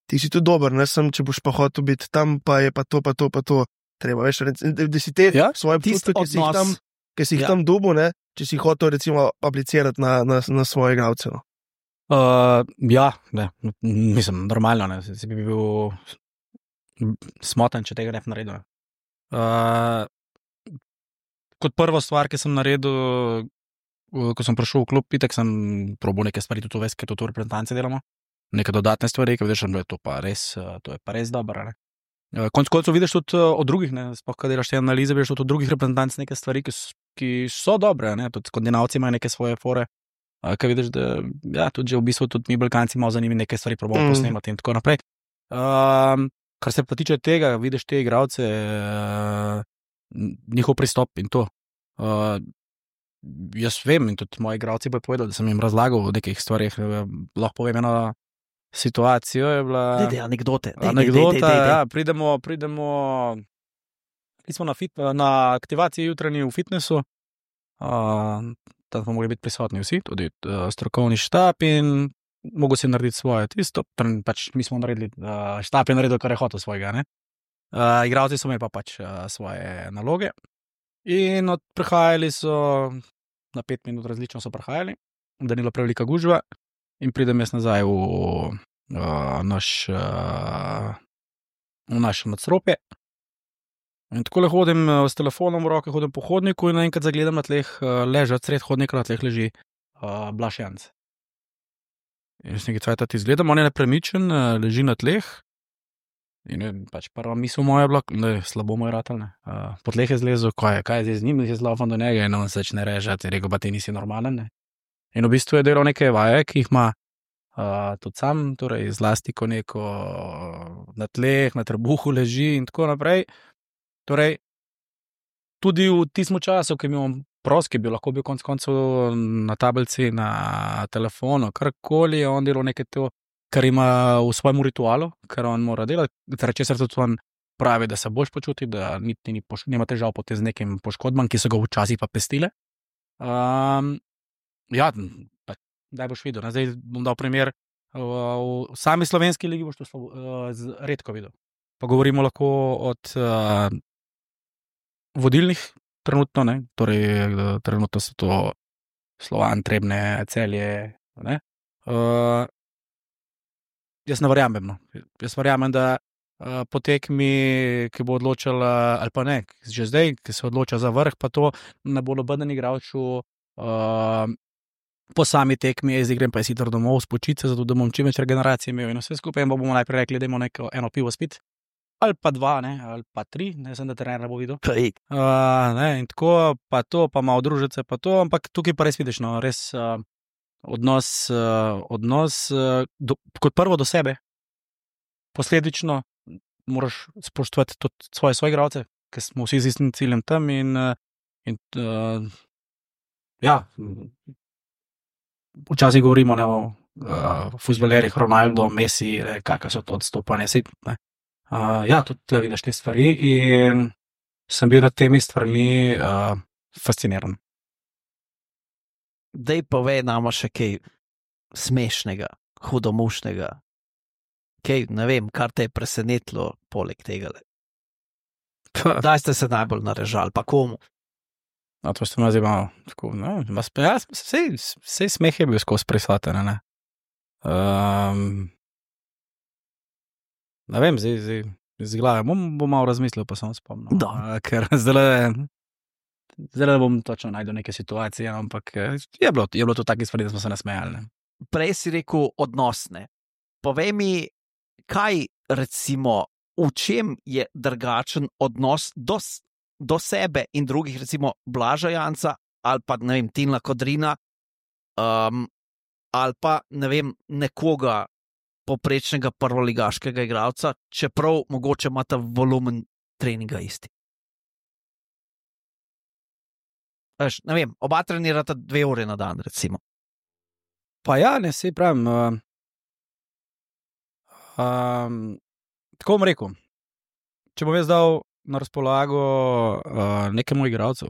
ti si tudi dober, ne, sem, če boš pa hotel biti tam, pa je pa to, pa to, pa to, treba, veš, da, da si te Ja, svoje občutke, ki si jih tam, ki si jih ja. tam dobil, ne, če si hotel recimo aplicirati na, na, na svoje igralce. No. Uh, ja, ne, mislim, normalno, ne, si bi bil smotan, če tega ne bi naredil. Uh, kot prvo stvar, ki sem naredil, ko sem prišel v klub, itak sem probal neke stvari, tudi ves, ker to reprezentance delamo, neke dodatne stvari, ki vidiš, da je to pa res, to je pa res dobro, ne. Konec koncev vidiš tudi od drugih, ne, sploh, kad delaš te analize, vidiš tudi od drugih reprezentanc neke stvari, ki so, ki so dobre, ne, tudi Skandinavci imajo neke svoje fore, ki vidiš, da, ja, tudi že v bistvu tudi mi Balkanci malo za njimi neke stvari probamo mm. posnemati in tako naprej. Um, kar se pa tiče tega, vidiš te igralce, uh, njihov pristop in to. Uh, jaz vem in tudi moji igralci bojo povedali, da sem jim razlagal o nekih stvarih, lahko povem eno situacijo, je bila... Dej, dej, anekdote. Dej, anekdota, dej, dej, dej, dej. ja, pridemo, pridemo, smo na, fit, na aktivaciji jutranji v fitnessu, uh, tam smo mogli biti prisotni vsi, tudi uh, strokovni štab in mogo si narediti svoje tisto, pač mi smo naredili, uh, štab je naredil, kar je hotel svojega, ne. Uh, igralci so imeli pa pač uh, svoje naloge in od, prihajali so na pet minut različno so prihajali, da ni bila prevelika gužva, in pridem jaz nazaj v, uh, naš, uh, v naše nadstropje. In tako le hodim uh, s telefonom v roke, hodim po hodniku in naenkrat zagledam na tleh, uh, leža sred hodnika, na tleh leži uh, Blaž Janc. In jaz nekaj cajta izgledam, on je nepremičen, uh, leži na tleh. In je, pač prva misel moja je bila, da je slabo moj ratelj, ne. Uh, po tleh je zlezel, kaj je, kaj je zdaj z njim, jaz laufam do njega in on se začne režati, je rekel, pa ti nisi normalen, ne. In v bistvu je delal neke vaje, ki jih ima uh, tudi sam, torej zlasti, ko neko na tleh, na trebuhu leži in tako naprej. Torej, tudi v tistem času, ki je imel prost, ki bi lahko bil konec koncev na tablici, na telefonu, karkoli, je on delal nekaj to, kar ima v svojem ritualu, kar on mora delati, zaradi česar tudi on pravi, da se boš počuti, da niti ni poš- nima težav potem z nekim poškodbam, ki so ga včasih pa pestile. Um, ja, pa, daj boš videl. Ne? Zdaj bom dal primer, v, v sami slovenski ligi boš to slabo, uh, z, redko videl. Pa govorimo lahko od uh, vodilnih trenutno, ne? Torej trenutno so to Slovan, Trebne, Celje, ne? Uh, jaz ne verjamem, no. Jaz verjamem, da uh, po tekmi, ki bo odločala, ali pa ne, že zdaj, ki se odloča za vrh, pa to ne bo noben igralču uh, po sami tekmi, jaz igram pa je hitro domov, spočiti se, zato da bom čim več regeneracije imel in vse skupaj, in pa bomo najprej rekli, da imamo neko eno pivo spit, ali pa dva, ne, ali pa tri, ne sem, da trener bo videl. Uh, ne, in tako, pa to, pa malo družice, pa to, ampak tukaj pa res vidiš, no, res uh, odnos, uh, odnos uh, do, kot prvo do sebe, posledično moraš spoštovati tudi svoje soigralce, ker smo vsi z istim ciljem tam in, uh, in uh, ja, včasih govorimo ne, o uh, fuzbalerjih, Ronaldo, Messi, kakšne so to odstopanje, sej, ne. Uh, ja, tudi tle vidiš te stvari in sem bil nad temi stvarmi uh, fasciniran. Dej povej nama še kaj smešnega, hudomušnega. Kaj, ne vem, kar te je presenetilo poleg tega. Kdaj ste se najbolj narežali, pa komu? No, to ste me zdaj malo, tako, ne, vas pa, ja, sej, sej smeh je bil skozi prisoten, ne. Um, ne vem, zdaj, zdaj, z glave, bom, bom malo razmislil, pa sem spomnil. Uh, ker zdaj, zdaj bom točno najdel neke situacije, ampak je bilo, je bilo to taki stvari, da smo se nasmejali, ne. Prej si rekel odnosne. Povej mi, kaj recimo, v čem je drugačen odnos do, do sebe in drugih, recimo Blaža Janca, ali pa, ne vem, Tilna Kodrina, um, ali pa, ne vem, nekoga poprečnega prvoligaškega igralca, čeprav mogoče imata volumen treninga isti. Veš, ne vem, oba trenirata dve ure na dan, recimo. Pa ja, ne, sej pravim, uh, um, tako bom rekel, če bom jaz dal na razpolago uh, nekemu igralcu,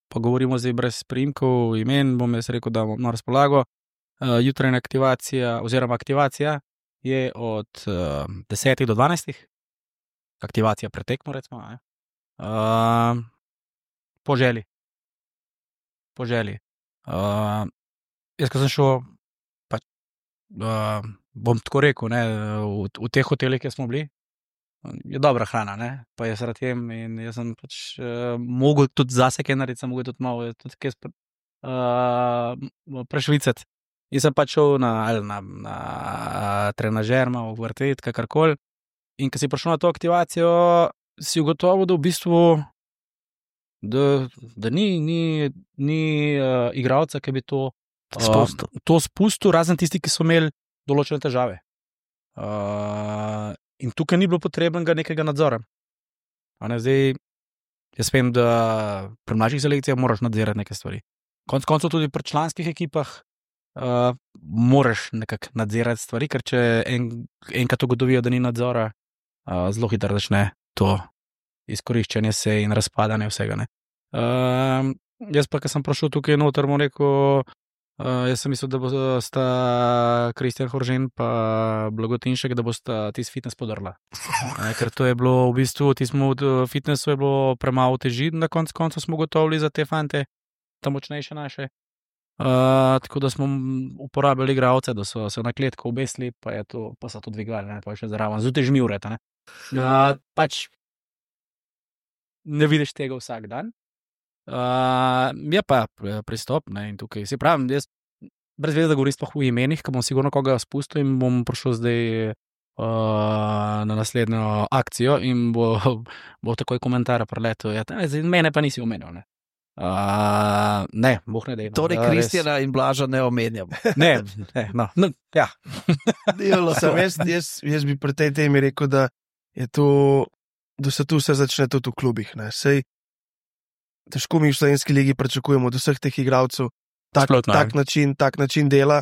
pa govorimo zdaj brez priimkov, imen, bom jaz rekel, da bom na razpolago, uh, jutrajna aktivacija, oziroma aktivacija je od uh, desetih do dvanajstih, aktivacija pretekmo, recimo, ne? Uh, po želji. Po želji. Uh, jaz, ko sem šel, pač, uh, bom tako rekel, ne, v, v teh hotelih, kjer smo bili, je dobra hrana, ne, pa jaz rad jem in jaz sem pač uh, mogel tudi zase kaj narediti, sem mogel tudi malo tudi kaj spre, uh, prešvicati. In sem pač šel na, na, na trenažer, malo vrtet, kakorkoli. In ko si prišel na to aktivacijo, si ugotovil, da v bistvu da, da ni, ni, ni uh, igralca, ki bi to spustil. Uh, to spustil, razen tisti, ki so imeli določene težave. Uh, in tukaj ni bilo potrebnega nekega nadzora. A ne, zdaj, jaz vem, da pri mlajših selekcijah moraš nadzirati neke stvari. Konec koncev tudi pri članskih ekipah Uh, moraš nekako nadzirati stvari, ker če en, enkrat ugotovijo, da ni nadzora, uh, zelo hitro začne to izkoriščanje se in razpadanje vsega. Ne. Uh, jaz pa, ko sem prišel tukaj noter, bom rekel, uh, jaz sem mislil, da bosta Kristjan Horžen pa Blagotinšek, da bosta tisti fitness podrla. Uh, ker to je bilo v bistvu, tismo v fitnessu je bilo premalo teži, na koncu koncu smo gotovili za te fante, ta močnejše naše. Uh, tako da smo uporabljali igralce, da so se na kletko obesili, pa, je to, pa so to dvigali, ne, pa še zraven. Zjutraj žmivreta, ne. Uh, pač ne vidiš tega vsak dan. Uh, je pa pristop, ne, in tukaj si pravim, jaz brez veze, da govorim sploh v imenih, ker bom sigurno koga spustil in bom prišel zdaj uh, na naslednjo akcijo in bo, bo takoj komentar preletel. Ja, mene pa nisi omenil, ne. Uh, ne, boh ne dej. No. Torej, Kristjana in Blaža ne omenjam. ne, ne, no, no, ja. Sem, jaz, jaz, jaz bi pri tej temi rekel, da je to, da se tu vse začne tudi v klubih. Ne. Sej, težko mi v slovenski ligi pričakujemo od vseh teh igralcev tak, tak, način, tak način dela.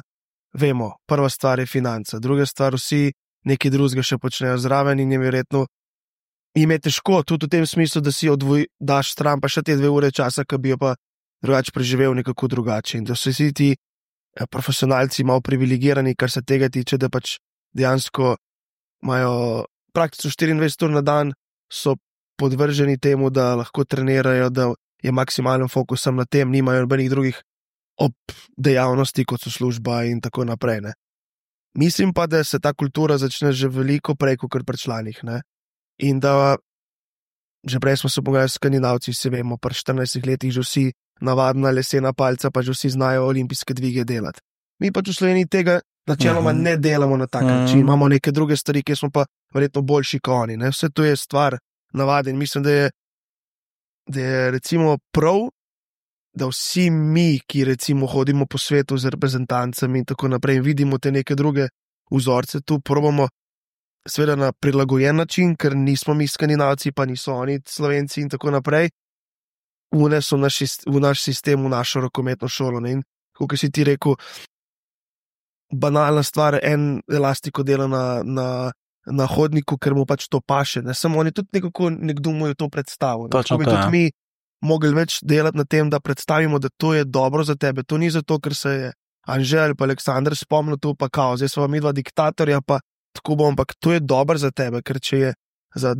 Vemo, prva stvar je financa, druga stvar vsi nekaj drugega še počnejo zraven in je verjetno jim je težko, tudi v tem smislu, da si odvoj, daš stran pa še te dve ure časa, ki bi jo pa drugače preživel nekako drugače. In da so vsi ti profesionalci malo privilegirani, kar se tega tiče, da pač dejansko imajo praktično štiriindvajset ur na dan, so podvrženi temu, da lahko trenirajo, da je maksimalen fokus na tem, nimajo nobenih drugih ob dejavnosti, kot so služba in tako naprej. Ne. Mislim pa, da se ta kultura začne že veliko prej, kot pri članih. Ne. In da, že prej smo se pogajali s Skandinavci, se vemo, pri štirinajstih letih že vsi navadna lesena palca, pa že vsi znajo olimpijske dvige delati. Mi pa v Sloveniji tega načeloma ne delamo na tak način, imamo neke druge stvari, ki smo pa verjetno boljši kot oni. Ne? Vse to je stvar navade in mislim, da je, da je recimo prav, da vsi mi, ki recimo hodimo po svetu z reprezentancami in tako naprej in vidimo te neke druge vzorce, tu probamo seveda na prilagojen način, ker nismo mi Skandinavci, pa niso oni Slovenci in tako naprej, uneso naš, v naš sistem, v našo rokometno šolo. Ne? In kot si ti rekel, banalna stvar, en elastiko dela na, na, na hodniku, ker mu pač to paše. Ne? Samo oni tudi nekako nekdo mu je to predstavil. Ne? Tako bi tudi ja. mi mogli več delati na tem, da predstavimo, da to je dobro za tebe. To ni zato, ker se je Anže ali pa Aleksandar spomnil to, pa kao, zdaj so vam dva diktatorja, pa tako bom, ampak to je dobro za tebe, ker če je za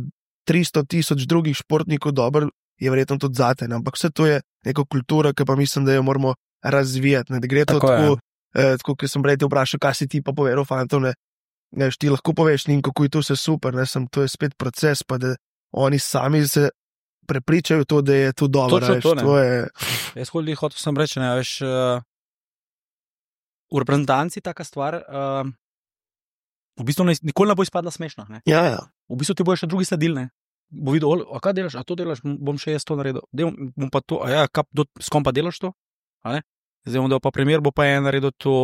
tristo tisoč drugih športnikov dobro, je verjetno tudi zate. Ne? Ampak vse to je neka kultura, ki pa mislim, da jo moramo razvijati. Ne? Da gre to tako, tako, eh, tako kot sem prej te vprašal, kaj si ti pa povedal, fantom, ne? Ne, ti lahko poveš njim, kako je to vse super, ne? Sem, to je spet proces, pa da oni sami se prepričajo to, da je to dobro. Točno to, ne. To je... Jaz hodil hotel sem reči, ne, veš, uh, v reprezentanci taka stvar, uh, v bistvu ne, nikoli ne bo izpadla smešna. Ne? Ja, ja. V bistvu ti bojo še drugi sledili, ne? Bo videl, a kaj delaš, a to delaš, bom še jaz to naredil. Del, bom pa to, a ja, kap, do, s kom pa delaš to? A ne? Zdaj bom dal pa primer, bo pa en naredil to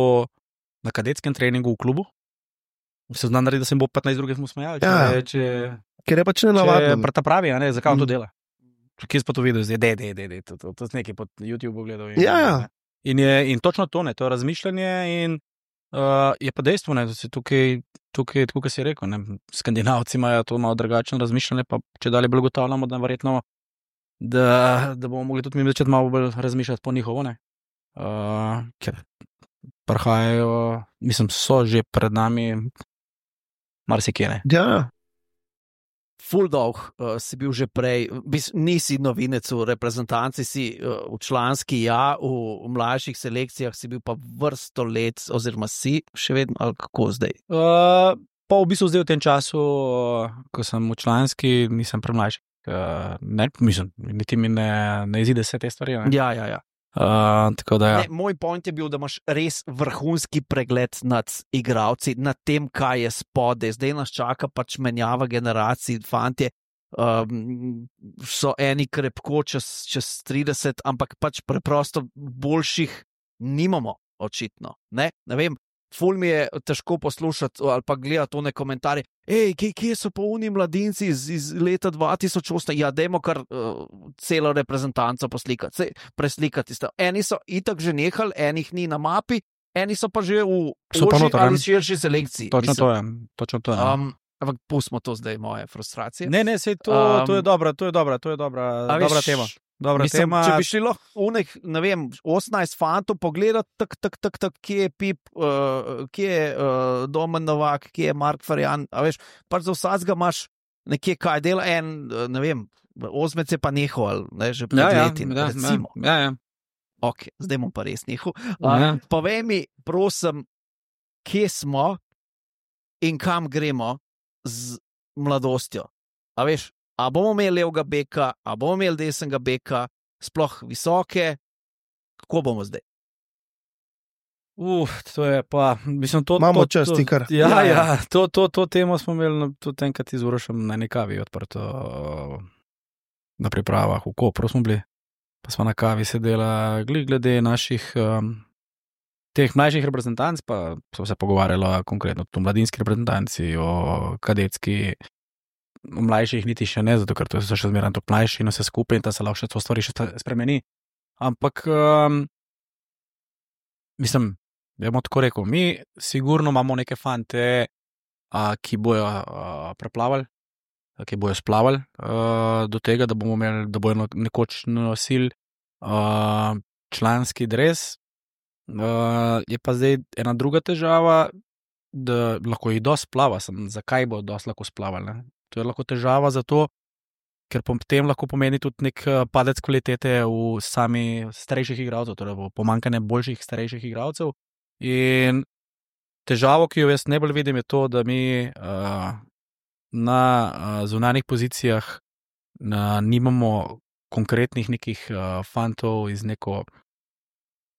na kadetskem treningu v klubu. Se zna narediti, da se bo petnajst drugih mu smejali. Ja, če, če, ker je pač nenavadno. Če ta pravi, a ne, zakaj on to dela? Kje si pa to videl, zdaj, de, de, de, de, to, to, to, to nekaj pod YouTube gledal. In, ja, ja. In, je, in točno to, ne, to je razmišljanje in uh, je pa dejstvo, ne, da se tukaj, tukaj, tako kot si rekel, ne, Skandinavci imajo to malo drugačno razmišljanje, pa če dalje bolj gotavljamo, da verjetno, da, da bomo mogli tudi mi začeti malo bolj razmišljati po njihovo, ne. Uh, ker prihajajo, mislim, so že pred nami marsikje, ne. Ja, Full dog, uh, si bil že prej, bis, nisi novinec v reprezentanci, si uh, v članski, ja, v, v mlajših selekcijah si bil pa vrsto let, oziroma si še vedno, ali kako zdaj? Uh, pa v bistvu zdaj v tem času, uh, ko sem v članski, nisem premlajši. Uh, ne, mislim, niti mi ne, ne izide vse te stvari. Ne? Ja, ja, ja. Uh, tako da, ja. Ne, moj point je bil, da imaš res vrhunski pregled nad igralci, nad tem, kaj je spode. Zdaj nas čaka pač menjava generacij, fantje um, so eni krepko čez, čez trideset, ampak pač preprosto boljših nimamo, očitno. Ne, ne vem, ful mi je težko poslušati ali pa gledati one komentarje. Ej, kje, kje so pa oni mladinci iz, iz leta dva tisoč osem? Ja, dajmo kar uh, celo reprezentanco poslikati, preslikati. Eni so itak že nehali, enih ni na mapi, eni so pa že v ožji ali širši selekciji. Točno to je. Točno to je. Um, ampak pustimo to zdaj, moje frustracije. Ne, ne, sej to, um, to je dobra, to je dobra, to je dobra, dobra tema. Dobra Mislim, tema. Če bi šli lahko unek, ne vem, osemnajst fantov pogledati, tak, tak, tak, tak, kje je Pip, uh, kje je uh, Domen Novak, kje je Mark Ferjan, a veš, pač za vsakega imaš nekje kaj dela, en, ne vem, osmec je pa nehal, ne, že pred ja, leti, ja, recimo. Ja, ja. Ok, zdaj bom pa res nehal. Ja. Uh, povej mi, prosim, kje smo in kam gremo z mladostjo. A veš, a bomo imeli levega beka, a bomo imeli desnega beka, sploh visoke, kako bomo zdaj? Uf, to je pa, mislim, to... Imamo to, čas, to, ti kar. Ja, Ja, ja, ja. ja to, to, to temo smo imeli na- tudi enkrat z Urošem na eni kavi odprto na pripravah v Kopru smo bili, pa smo na kavi sedela glih glede naših um, teh mlajših reprezentanc, pa so se pogovarjali konkretno o mladinski reprezentanci, o kadetski, o mlajših niti še ne, zato ker to so še zmeraj tako mlajši in vse skupaj in ta se lahko še to stvari še sta- spremeni. Ampak, um, mislim, ja bom tako rekel, mi sigurno imamo neke fante, a, ki bojo a, preplavali, a, ki bojo splavali a, do tega, da bomo imeli, da bojo no- nekoč nosili a, članski dres. A, je pa zdaj ena druga težava, da lahko jih dosti splava, sem, zakaj bo dosti lahko splavali. Ne? To je lahko težava zato, ker potem lahko pomeni tudi nek eh, padec kvalitete v sami starejših igralcev, torej bo pomanjkanje boljših starejših igralcev. In težavo, ki jo jaz najbolj vidim, je to, da mi uh, na uh, zunanjih pozicijah uh, nimamo konkretnih nekih uh, fantov iz neko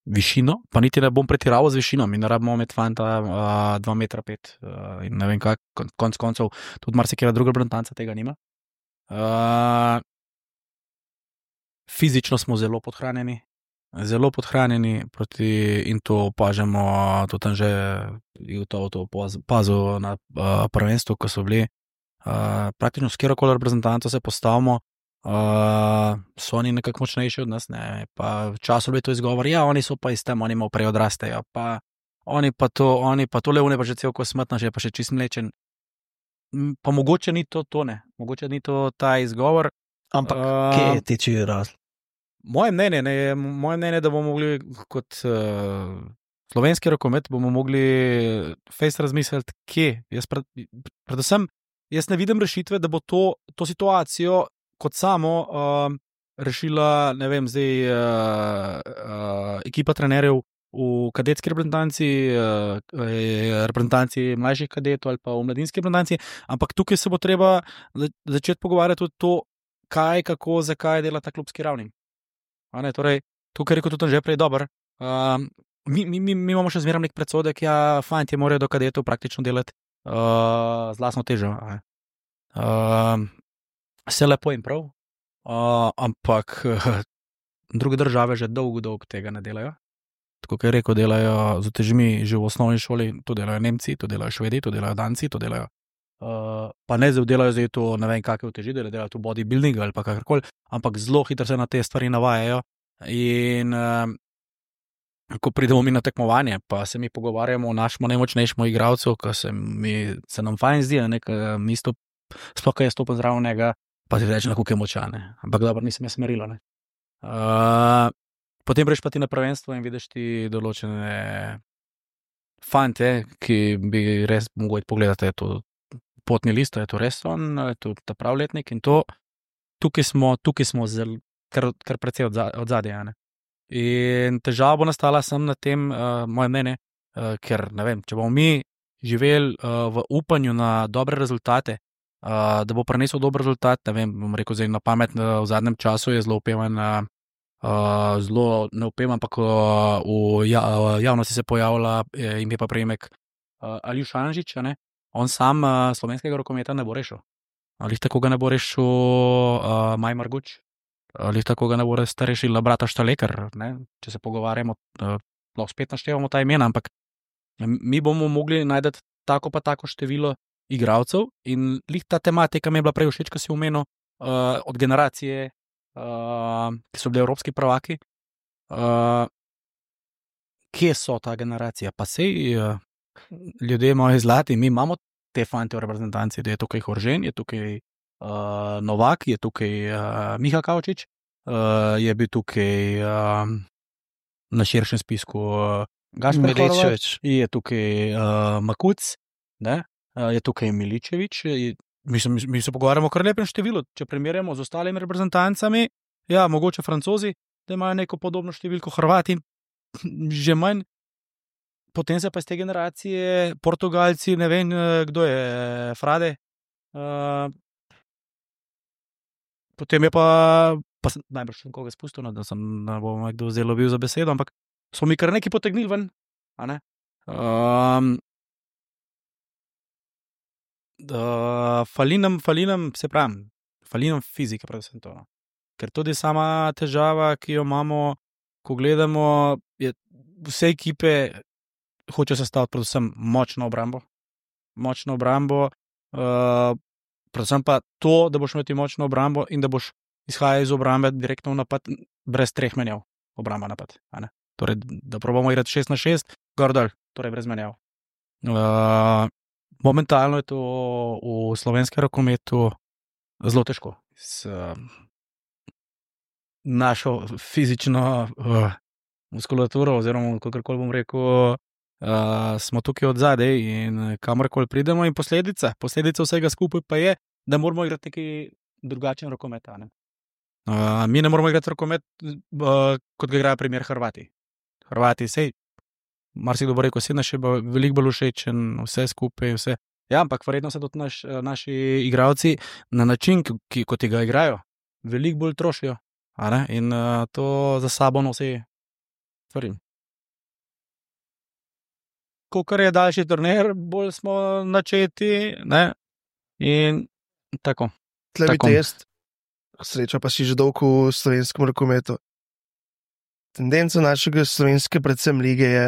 višino, pa niti ne bom pretiraval z višino, mi ne rabimo imeti fanta uh, dva metra pet uh, in ne vem kaj, kon- konc koncev tudi marsikera druga reprezentanca tega nima. Uh, fizično smo zelo podhranjeni, zelo podhranjeni proti, in to opažamo tudi tam že to, to opazil na uh, prvenstvu, ko so bili uh, praktično s kjerokoli reprezentanco se postavimo, uh, so oni nekako močnejši od nas, ne, pa včasih bi to izgovor, ja, oni so pa iz tem, oni malo prej odrastejo, pa oni pa to, oni pa to levne pa že cel ko smrtna, že pa še čist mlečen. M, Pa mogoče ni to to, ne, mogoče ni to ta izgovor. Ampak, Um, kje je tiči razlog? Moje mnenje, ne, je moje mnenje, da bomo mogli kot uh, slovenski rokomet bomo mogli fejst razmisliti, kje. Jaz pred, predvsem, jaz ne vidim rešitve, da bo to, to situacijo kot samo uh, rešila, ne vem, zdaj uh, uh, ekipa trenerjev v kadetski reprezentanci, uh, reprezentanci mlajših kadetov ali pa v mladinski reprezentanci, ampak tukaj se bo treba za- začeti pogovarjati tudi to, kaj, kako, zakaj dela ta klubski ravni. A ne, torej, to, kar je rekel tudi že prej, dober. Um, mi, mi, mi, mi imamo še zmeraj nek predsodek, ja, fantje morajo do kadetov praktično delati uh, z lastno težo. a ne. Um, vse lepo in prav, uh, ampak uh, druge države že dolgo, dolgo tega ne delajo. Tako kot je rekel, delajo z utežmi že v osnovni šoli, to delajo Nemci, to delajo Švedi, to delajo Danci, to delajo. Uh, pa ne zdaj delajo zdaj to, ne vem, kakšne uteži, da delajo to bodybuilding ali pa kakorkoli, ampak zelo hitro se na te stvari navajajo. In uh, ko pridemo mi na tekmovanje, pa se mi pogovarjamo o našem najmočnejšem igralcu, ki se, mi, se nam fajn zdi, ne, ker mi sto, sploh, ko je stopil zraven njega, pa ti reče, kako je močan. ne. Ampak dobro, nisem jaz merilo. Ne. Uh, potem greš pa ti na prvenstvo in vidiš ti določene fante, ki bi res mogli pogledati, je to potni list, je to res on, je to ta pravletnik in to, tukaj smo, tukaj smo zel, kar, kar precej od zadja. Ne. In težava bo nastala sem na tem, uh, moje mnenje, uh, ker ne vem, če bomo mi živeli uh, v upanju na dobre rezultate, uh, da bo prinesel dober rezultat, ne vem, bom rekel zdaj na pamet, uh, v zadnjem času je zelo upevan, uh, uh, zelo ne upevan, ampak uh, v ja, uh, javnosti se pojavlja uh, ime pa prejemek uh, Aljuš Anžič, a ne. On sam uh, slovenskega rokometa ne bo rešil. Ali tako ga ne bo rešil uh, Maj Marguč, ali tako ga ne bo res rešila brata Štalekar, ne? Če se pogovarjamo, uh, lahko spet naštevamo ta imena, ampak mi bomo mogli najti tako pa tako število igralcev in lih ta tematika mi je bila prej všeč, ko si omenil uh, od generacije, uh, ki so bili evropski prvaki. Uh, kje so ta generacija? Pa sej uh, ljudje imajo zlati, mi imamo te fante v reprezentanci, da je tukaj Horžen, je tukaj uh, Novak, je tukaj uh, Miha Kavčič, uh, je bil tukaj uh, na širšem spisku uh, Gašper Horvat, je tukaj uh, Makuc, ne? Uh, je tukaj Miličevič, je, mi, se, mi se pogovarjamo o kar lepem številu, če primerjamo z ostalimi reprezentancami, ja, mogoče Francozi, da imajo neko podobno številko, Hrvati že manj. Potem se pa iz te generacije, Portugalci, ne vem, kdo je, Frade. Uh, potem je pa, pa sem najbrž še koga spustil, no, da sem, ne bom kdo zelo bil za besedo, ampak smo mi kar nekaj potegnili ven. A ne? Um, uh, falinam, falinam, se pravim, falinam fizike, predvsem to. No. Ker tudi sama težava, ki jo imamo, ko gledamo, je vse ekipe hoče sestaviti predvsem močno obrambo. Močno obrambo, uh, predvsem pa to, da boš imeti močno obrambo in da boš izhajal iz obrambe direktno v napad, brez treh menjav. Obramba napad. A ne? Torej, da probamo igrati šest na šest, gor dol, torej brez menjav. Uh, momentalno je to v slovenskem rokometu zelo težko. S uh, našo fizično uh, muskulaturo, oziroma kakorkoli bom rekel, Uh, smo tukaj od zadaj in kamorkoli pridemo in posledica, posledica vsega skupaj pa je, da moramo igrati neki drugačen rokomet. Ne? Uh, mi ne moramo igrati rokomet, uh, kot ga igrajo primer Hrvati. Hrvati, sej, marsikdo bo rekel, vse naše bo veliko bolj všečen, vse skupaj, vse. Ja, ampak verjetno se tudi naš, naši igralci na način, ki, kot ga igrajo, veliko bolj trošijo. A ne? In uh, to za sabo nosi stvari. Kakor je daljši turnir, bolj smo načeti, ne, in tako. Tle bi test, sreča pa si že dolgo v slovenskem rokometu. Tendenca našega slovenske predvsem lige je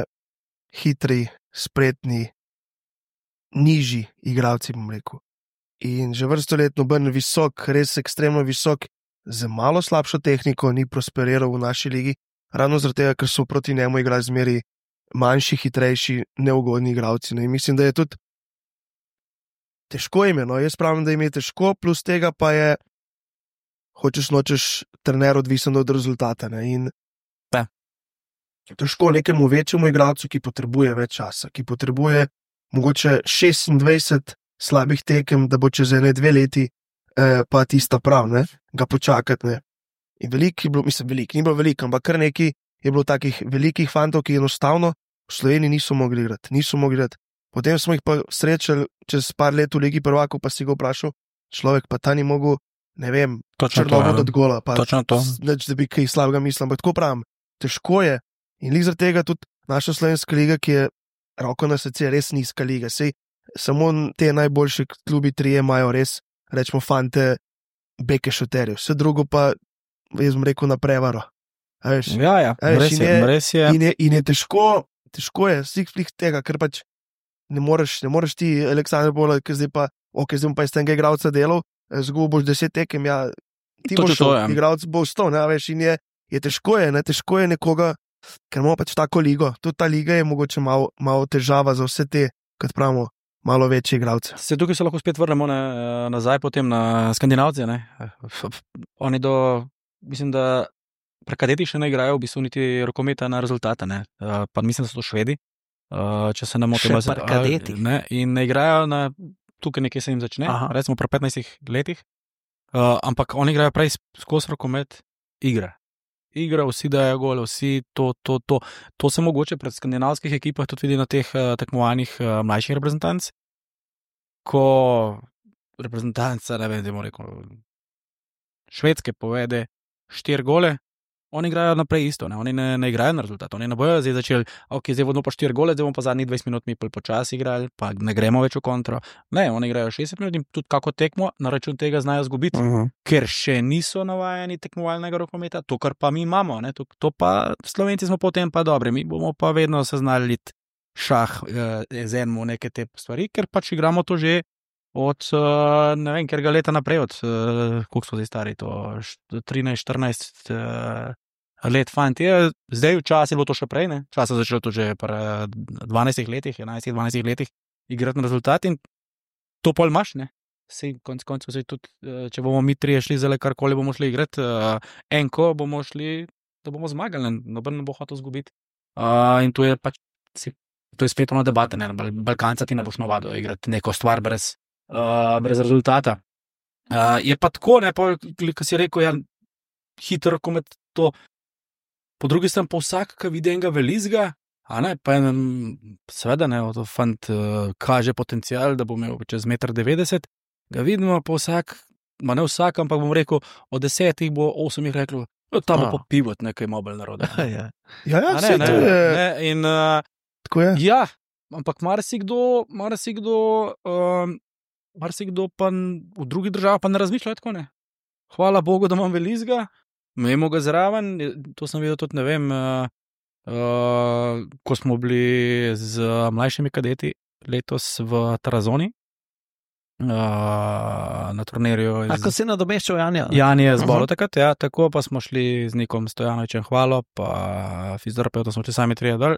hitri, spretni, nižji igralci, bom rekel. In že vrsto let noben visok, res ekstremno visok, z malo slabšo tehniko ni prosperiral v naši ligi, ravno zaradi tega, ker so proti njemu igrali zmeri manjši, hitrejši, neugodni igralci. No, in mislim, da je tudi težko ime. No. Jaz pravim, da jim je težko, plus tega pa je, hočeš nočeš, trener odvisen od rezultata. Ne. In ja. Težko nekemu večjemu igralcu, ki potrebuje več časa, ki potrebuje mogoče šestindvajset slabih tekem, da bo čez ene dve leti eh, pa tista prav, ne, ga počakati. Ne. In veliko je bilo, mislim, veliko, ni bilo veliko, ampak kar neki je bilo takih velikih fantov, ki enostavno v Sloveniji niso mogli igrati, niso mogli igrati. Potem smo jih pa srečali čez par let v Ligi prvakov, pa si ga vprašal, človek pa ta ni mogel, ne vem, črnovod od gola, pa neč, da bi kaj slabega mislil, ampak tako pravim, težko je. In lig zaradi tega tudi naša slovenska liga, ki je roko na srce res nizka liga, sej samo te najboljši klubi trije imajo res, rečemo fante, beke šoterjev, vse drugo pa, jaz bom rekel, na prevaro. Veš, ja, ja, veš, res, je, je, res je. In je, in je težko, težko je, stik tega, ker pač ne moreš, ne moreš ti, Aleksandar Bola, ki zdaj pa, ok, zdaj bom pa iz tega igralca delal, zgubil boš deset tekem, ja, ti boš šel, ja. Igralc bo sto, ne, veš, in je, je težko je, ne, težko je nekoga, ker imamo pač tako ligo, tudi ta liga je mogoče malo, malo težava za vse te, kot pravimo, malo večje igralce. Se tukaj se lahko spet vrnemo ne, nazaj potem na Skandinavce, ne, oni do, mislim, da prekadeti še ne igrajo v bistvu niti rokometa na rezultate, ne. Uh, pa mislim, da so to Švedi, uh, če se ne motim. Še prekadeti. Uh, in ne igrajo na, tukaj nekje se jim začne, Aha. recimo pri petnajstih letih, uh, ampak oni igrajo prej skozi rokomet igre. Igra, vsi dajo gole, vsi to, to, to. To se mogoče pred skandinavskih ekipah tudi vidi na teh uh, tekmovanjih uh, mlajših reprezentanc, ko reprezentanca, ne vem, da bomo rekel, Švedske povede štiri gole, oni igrajo naprej isto, ne? Oni ne, ne igrajo na rezultat, oni ne bojo zdaj začeli, ok, zdaj bomo pa štiri gole, zdaj bomo pa zadnjih dvajset minut mi počasi igrali, pa ne gremo več v kontro. Ne, oni igrajo šestdeset minut in tudi kako tekmo na račun tega znajo zgubiti, uh -huh. ker še niso navajeni tekmovalnega rokometa, to, kar pa mi imamo, ne? To, to pa Slovenci smo potem pa dobri, mi bomo pa vedno se znali iti šah eh, z enim neke te stvari, ker pač igramo to že od, uh, ne vem, ker ga leta naprej, od, uh, koliko so zdaj stari, to trinajst, štirinajst uh, let fanti. Zdaj včasih je bilo to še prej, ne? Včasih je začelo to že pri dvanajstih letih, enajstih, dvanajstih letih igrati na rezultat in to pol imaš, ne? Sej konc koncev se tudi, če bomo mi trije šli zdaj karkoli bomo šli igrati, uh, enko bomo šli, da bomo zmagali, noben ne bo hotel zgubiti. Uh, in to je pač, to je spet ono debate, ne? Balkanca ti ne boš navadil igrati neko stvar brez Uh, brez rezultata. Uh, je pa tako, ne, pa, ko si rekel, ja, hitro rokomet, to po drugi strani pa vsak, ki vidi enega velizga, a ne, pa en, seveda ne, to fant uh, kaže potencial, da bo imel čez meter devetdeset, ga vidimo, pa vsak, ma ne vsak, ampak bom rekel, od desetih bo osem jih reklo, no, ta bo Ah. pa pivot nekaj mobil naroda. Ja. Ja, ja, A saj ne, to ne, je. ne, in uh, Tako je. ja, ampak marsikdo, marsikdo, um, marsikdo pa n- v drugih državah pa ne razmišlja tako, ne. Hvala Bogu, da imam velizga, imamo ga zraven, to sem videl tudi, ne vem, uh, uh, ko smo bili z mlajšimi kadeti letos v Tarazoni, uh, na turnirju A ko iz si nadomeščal Janja? ne? Jan je zbolel Aha. takrat, ja, tako pa smo šli z Nikom Stojanovičem hvalo, pa fizioterapeutom smo šli sami trije dol.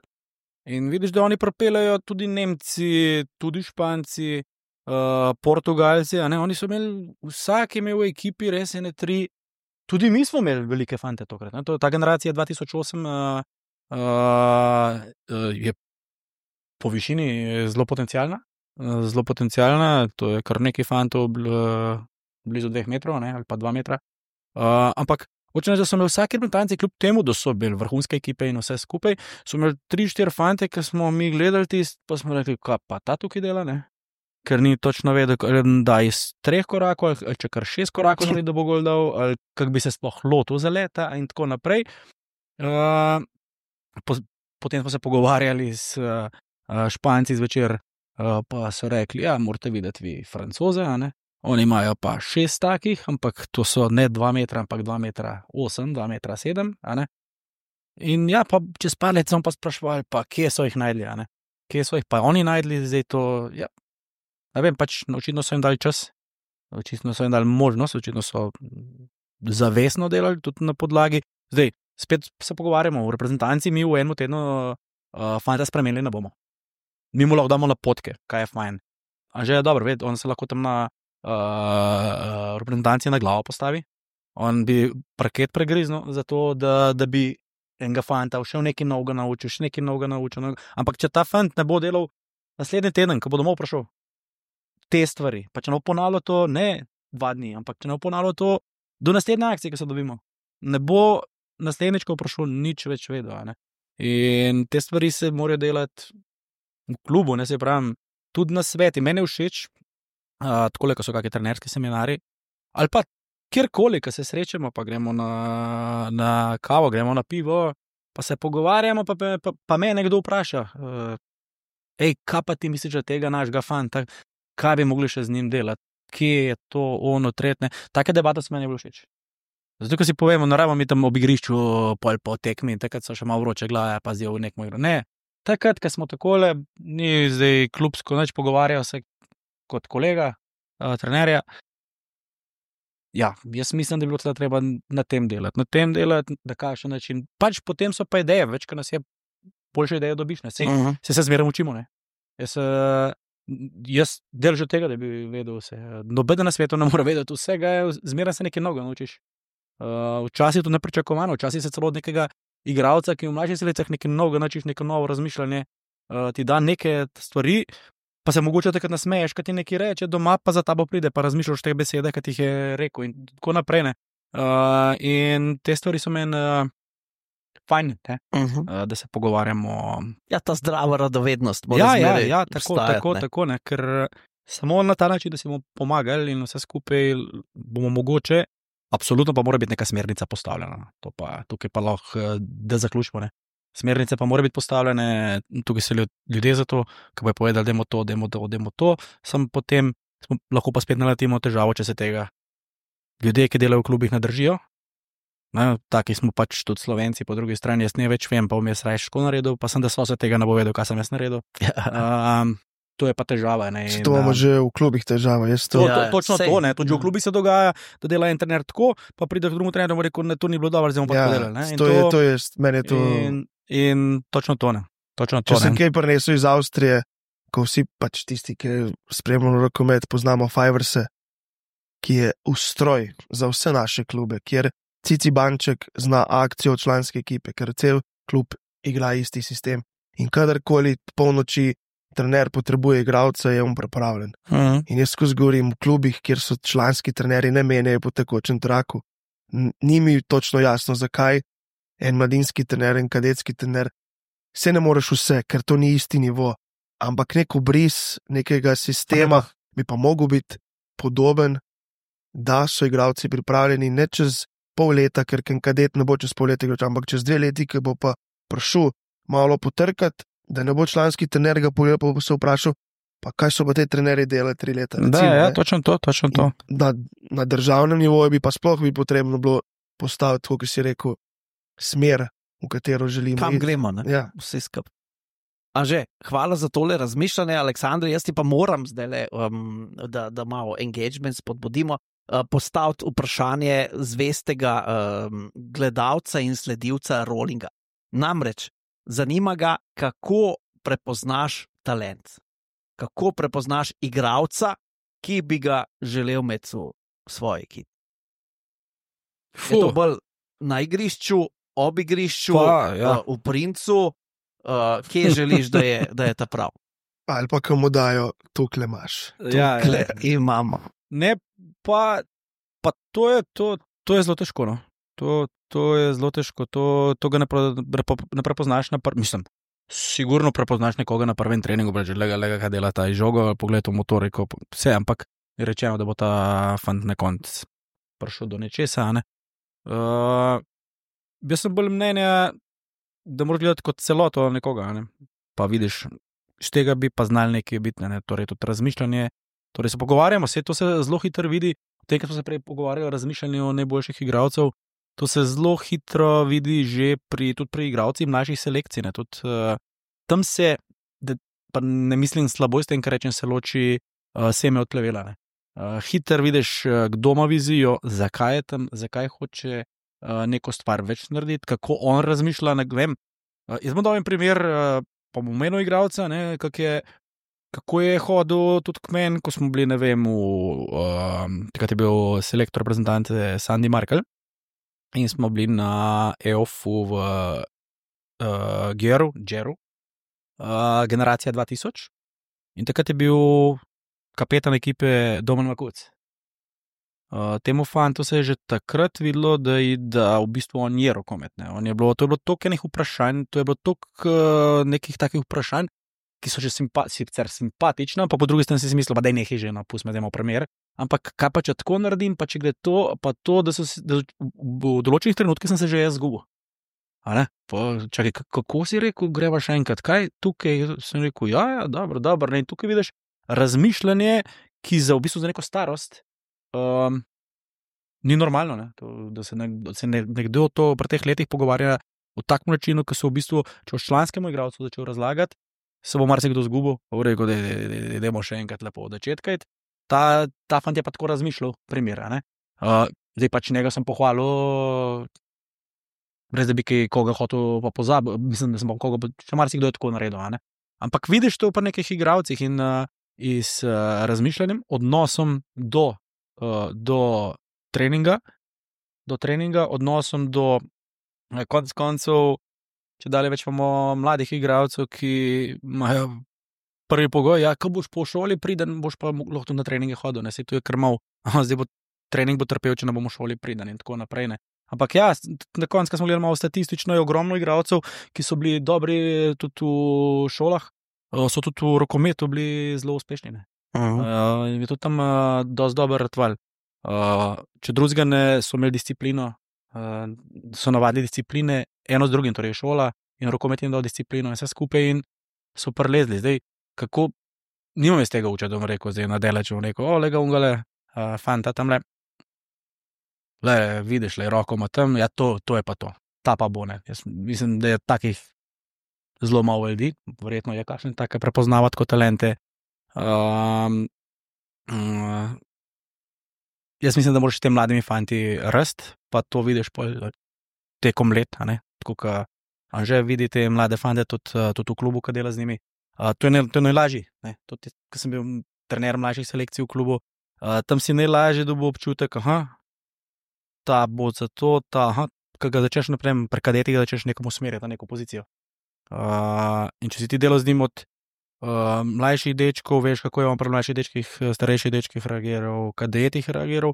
In vidiš, da oni propelajo tudi Nemci, tudi Španci, uh, Portugalci, a ne, oni so imeli, vsak je imel v ekipi res ene tri, tudi mi smo imeli velike fante tokrat, ne, to, ta generacija dva tisoč osem uh, uh, je po višini zelo potencialna, uh, zelo potencialna, to je kar nekaj fantov bl, uh, blizu dveh metrov, ne, ali pa dva metra, uh, ampak hočem reči, da so imeli vsaki reprezentanci, kljub temu, da so bili vrhunske ekipe in vse skupaj, so imeli tri, štiri fante, ki smo mi gledali tist, pa smo rekli, kaj pa ta tukaj dela, ne? Ker ni točno vedel, ali da iz treh korakov, ali če kar šest korakov naredi, da bo gol dal, ali kako bi se sploh lotil za leta in tako naprej. Uh, po, potem smo se pogovarjali s uh, Španci zvečer, uh, pa so rekli, ja, morate videti vi Francoze, a ne? Oni imajo pa šest takih, ampak to so ne dva metra, ampak dva metra osem, dva metra sedem, a ne. In ja, pa čez par let smo pa sprašvali, pa kje so jih najdli, a ne. Kje so jih pa oni najdli, zdaj to, ja, ne vem, pač očitno so jim dali čas, očitno so jim dali možnost, očitno so zavestno delali tudi na podlagi. Zdaj, spet se pogovarjamo o reprezentanci, mi v enem tednu uh, fanta spremenili ne bomo. Mi mu lahko damo napotke, kaj je fajn. A že je dobro, ved, on se lahko tam na uh, reprezentanci na glavo postavi. On bi parket pregriznil, zato da, da bi enega fanta še nekaj novega naučil, še nekaj novega naučil. Novega. Ampak če ta fant ne bo delal naslednji teden, ko bo domov prišel, te stvari, pa če ne bo ponavljal to, ne dva dni, ampak če ne bo ponavljal to do naslednje akcije, ki se dobimo, ne bo naslednjič, ko bo prišel, nič več vedel. a ne. In te stvari se morajo delati v klubu, ne se pravim, tudi na sveti. Meni je všeč, uh, tako ko so kakšni trenerski seminari, ali pa kjerkoli, ko se srečamo, pa gremo na, na kavo, gremo na pivo, pa se pogovarjamo, pa, pa, pa, pa me nekdo vpraša, uh, ej, kaj pa ti misliš, da tega našega fanta, kaj bi mogli še z njim delati, kje je to ono tretne. Take debate so meni bolj všeč. Zato, ko si povemo, no, rabimo mi tam ob igrišču pol po tekmi, takrat so še malo vroče glave, pa zdaj v nekom igro. Ne, takrat, ko smo takole, ni zdaj klubsko nič pogovarjal se kot kolega, uh, trenerja. Ja, jaz mislim, da bi bilo tle treba na tem delati, na tem delati, na kakšen način. Pač potem so pa ideje, več, ko nas je, boljše ideje dobiš, ne, se, Uh -huh. se, se zmeraj učimo, ne. Jaz, uh, jaz delžem tega, da bi vedel vse. Noben na svetu ne more vedeti vsega, zmeraj se nekaj novega naučiš. Uh, včasih je to nepričakovano, včasih se celo od nekega igralca, ki v mlajših letih nekaj novega naučiš, neko novo razmišljanje, uh, ti da neke stvari, pa se mogoče takrat nasmeješ, kad ti nekaj reče, doma pa za tabo pride, pa razmišljaš te besede, kad ti jih je rekel in tako naprej. Ne. Uh, in te stvari so meni uh, fajn, ne, Uh -huh. uh, da se pogovarjamo. Ja, ta zdrava radovednost mora Ja, ja, zmeraj ja, tako, obstajati, tako, ne. tako, ne, ker samo na ta način, da si bomo pomagali in vse skupaj bomo mogoče, absolutno pa mora biti neka smernica postavljena. To pa, tukaj pa lahko, da zaključimo, ne. Smernice pa mora biti postavljene, tukaj so ljudje za to, ki bojo povedali, dajmo to, dajmo to, dajmo to, samo potem smo, lahko pa spet naletimo težavo, če se tega ljudje, ki delajo v klubih, ne držijo. Ne, taki smo pač tudi Slovenci, po drugi strani jaz ne več vem, pa bom jaz raje ško naredil, pa sem da so se tega ne bo vedel, kaj sem jaz naredil. Um, to je pa težava. Ne, To imamo že v klubih težava. Jaz to, To, Ja, to, točno sej. to, ne. Tudi že v Ja. klubi se dogaja, da dela en trener tako, pa pride k drugemu trenerju in reče, da to ni bilo dobro, zdaj bomo pa ja, tako delali. Ne. In to, je, to je, meni je to. in, in točno to, ne. Točno Če to, sem ne. kaj prinesel iz Avstrije, ko vsi pač tisti, ki spremljamo rokomet, poznamo Fiverse, ki je ustroj za vse naše klube, kjer Cici Banček zna akcijo članske ekipe, ker cel klub igra isti sistem. In kadarkoli polnoči trener potrebuje igralca, je on pripravljen. Mhm. In jaz skozi govorim v klubih, kjer so članski trenerji ne menjajo po tekočem traku. N- Ni mi točno jasno, zakaj en mladinski trener, en kadetski trener, se ne moreš vse, ker to ni isti nivo, ampak nek obris nekega sistema bi pa mogel biti podoben, da so igralci pripravljeni ne čez pol leta, ker ken kadet ne bo čez pol leta, ampak čez dve leti, ki bo pa prišel malo potrkati, da ne bo članski trener ga pogledal, pa bo se vprašal, pa kaj so pa te trenerji delali tri leta. Da, recimo, ja, ne. točno to, točno to. In Na, na državnem nivoju bi pa sploh bi potrebno bilo postaviti, kot si rekel, smer, v katero želimo Kam iti. gremo, ne? Ja. Vse skupaj. Anže, hvala za tole razmišljanje, Aleksandr. Jaz ti pa moram zdaj, um, da, da malo engagement spodbudimo, uh, postaviti vprašanje zvestega um, gledalca in sledilca rollinga. Namreč, zanima ga, kako prepoznaš talent, kako prepoznaš igralca, ki bi ga želel imeti v svoji ekipi. Je to bolj na igrišču, ob igrišču, Pa, ja. uh, v princu, uh, kje želiš, da je, da je ta prav? Ali pa komu dajo, tukle imaš. Ja, Tukle ja. imamo. Ne, pa, pa to, je, to, to je zelo težko. No. To, to je zelo težko, to, to ga ne, pre, ne prepoznaš na prvem. Mislim, sigurno prepoznaš nekoga na prvem treningu, reče, lega, lega, kaj dela ta žogo, pogled v motoriko, vse, ampak je rečeno, da bo ta fant na koncu prišel do nečesa. Ne? Uh, jaz sem bolj mnenja, da moraš gledati kot celoto nekoga, ne? Pa vidiš, iz tega bi pa znali nekaj biti, ne? Torej tudi razmišljanje, torej se pogovarjamo, vse to se zelo hitro vidi, v tem, ko smo se prej pogovarjali o razmišljanju o najboljših igralcev, to se zelo hitro vidi že pri, tudi pri igralcih mlajših selekcij, ne? Tudi uh, tam se, da, pa ne mislim slabo s tem, kar rečem, se loči uh, seme od plevela, ne? Uh, hiter vidiš, uh, kdo ima vizijo, zakaj je tam, zakaj hoče uh, neko stvar več narediti, kako on razmišlja. Ne vem. Uh, jaz bom dal en primer, uh, pa bom omenil igralca, ne, kak je, kako je hodil tudi k meni, ko smo bili, ne vem, v, uh, takrat je bil selektor reprezentante Sandy Markel in smo bili na E O F-u v uh, Geru, Geru, uh, generacija dva tisoč in takrat je bil kapetan ekipe Domen Makuc. Uh, temu fantu se je že takrat videlo, da, je, da v bistvu on je rokomet. Ne. On je bilo, to je bilo toliko enih vprašanj, to je bilo toliko uh, nekih takih vprašanj, ki so že simpa, sicer simpatična, pa po drugi strani si mislil, da je nekaj že, no, pustimo, da imamo primer. Ampak kaj pa če tako naredim, pa če gre to, pa to, da, so, da v določenih trenutkih sem se že jaz zgubil. Čakaj, kako si rekel, greva še enkrat, kaj tukaj sem rekel, ja, ja, dobro, dobro, ne, in tukaj vidiš razmišljanje, ki za v bistvu za neko starost um, ni normalno, ne? To, da se, ne, da se ne, nekdo to pri teh letih pogovarja v takem načinu, ki so v bistvu, če boš članskemu igralcu začel razlagati, se bo marsikdo zgubil, pa bo rekel, da idemo še enkrat lepo od začetka. Ta, ta fant je pa tako razmišljal, primera, ne. Uh, zdaj pač njega sem pohvalil, brez da bi kaj koga hotel pa pozabil, mislim, da sem pa koga, še marsikdo je tako naredil, ne. Ampak vidiš to pa nekih igralcih in uh, iz uh, razmišljanjem, odnosom do, uh, do treninga, do treninga, odnosom do uh, konc koncev, če dalje več imamo mladih igralcev, ki imajo prvi pogoj, ja, ko boš po šoli priden, boš pa lahko na treninge hodil, ne, se to je krmal, zdaj bo trening bo trpel, če ne bomo šoli priden in tako naprej, ne. Ampak ja, na koncu, ko smo gledali malo statistično, je ogromno igralcev, ki so bili dobri tudi v šolah, so tudi v rokometu bili zelo uspešni, ne. Uh-huh. Uh, in je tudi tam uh, dosti dober ratval. Uh, če drugega ne so imeli disciplino, uh, so navadili discipline, eno z drugim, torej šola in rokomet jim dal disciplino in vse skupaj in so prelezli. Zdaj, kako, nimam iz tega uča, da bom rekel, zdaj na delaču, bom rekel, o, lega ungale, uh, fanta tamle, le, vidiš, le, roko ima tam, ja, to, to je pa to, ta pa bo, ne. Jaz mislim, da je takih zelo malo ljudi, verjetno je kakšne take prepoznavati kot talente. Um, um, jaz mislim, da moraš s tem mladimi fanti rasti, pa to vidiš tekom let, a ne, tako ka Anže vidi te mlade fante tudi, tudi v klubu, ki dela z njimi. Uh, to je, ne, to je najlažji, ne, tudi, ko sem bil trener mlajših selekcij v klubu, uh, tam si najlažje dobil občutek, aha, ta bo za to, ta, aha, ko ga začneš naprej, pri kadetih ga začneš nekomu usmerjati na neko pozicijo. Uh, in če si ti delal z njim od uh, mlajših dečkov, veš, kako je on pri mlajših dečkih, starejših dečkih reagiral, kadetih reagiral,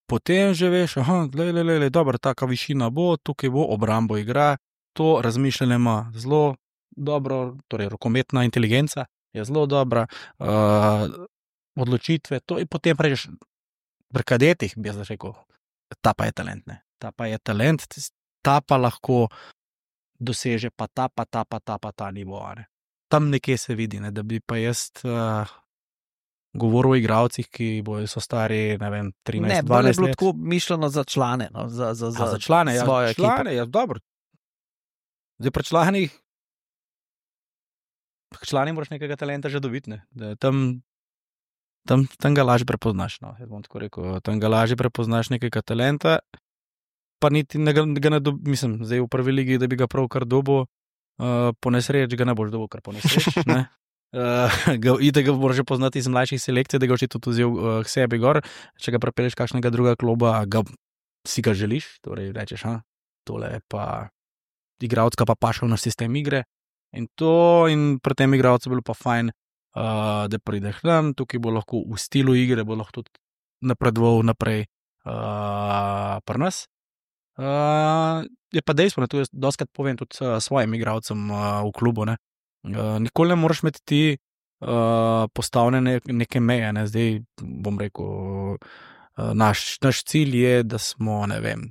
potem že veš, aha, le, le, le, le, dobro, taka višina bo, tukaj bo, obrambo igra, to razmišljanje ima zelo dobro, torej rokometna inteligenca je zelo dobra, uh, odločitve, to in potem prežeš pri kadetih, bi jaz rekel, ta pa je talent, ne, ta pa je talent, ta pa lahko doseže, pa ta, pa ta, pa ta, pa ta nivo, ne. Tam nekje se vidi, ne, da bi pa jaz uh, govoril o igralcih, ki bojo so stari, ne vem, trinajst, Ne, bolj je dvanajst bilo let. tako mišljeno za člane, no, za, za, za, A, za člane, ja, svojo ekipo. člane, ja, dobro. Zdaj pri članih, pri člani moraš nekega talenta že dobiti, ne, da tam, tam, tam ga lažje prepoznaš, no, jaz bom tako rekel, tam ga lažje prepoznaš nekega talenta, pa niti ne ga, ga ne dobi, mislim, zdaj v prvi ligi, da bi ga prav kar dobil, uh, po nesreč ga ne boš dobil kar po nesreč, ne. Uh, ga, ide ga moraš že poznati iz mlajših selekcij, da ga očitno tudi vzel uh, k sebi gor, če ga prepeleš kakšnega druga kluba, ga, si ga želiš, torej rečeš, ha, tole je pa igralec, pa pašal na sistem igre in to, in pri tem igralcu bilo pa fajn, uh, da prideš tam, tukaj bo lahko v stilu igre, bo lahko tudi napredoval naprej uh, pri nas. Uh, je pa dejstvo, ne, tu jaz doskrat povem tudi uh, svojim igralcem uh, v klubu, ne. Uh, nikoli ne moraš imeti ti uh, postavljene neke meje, ne, zdaj bom rekel, uh, naš, naš cilj je, da smo, ne vem,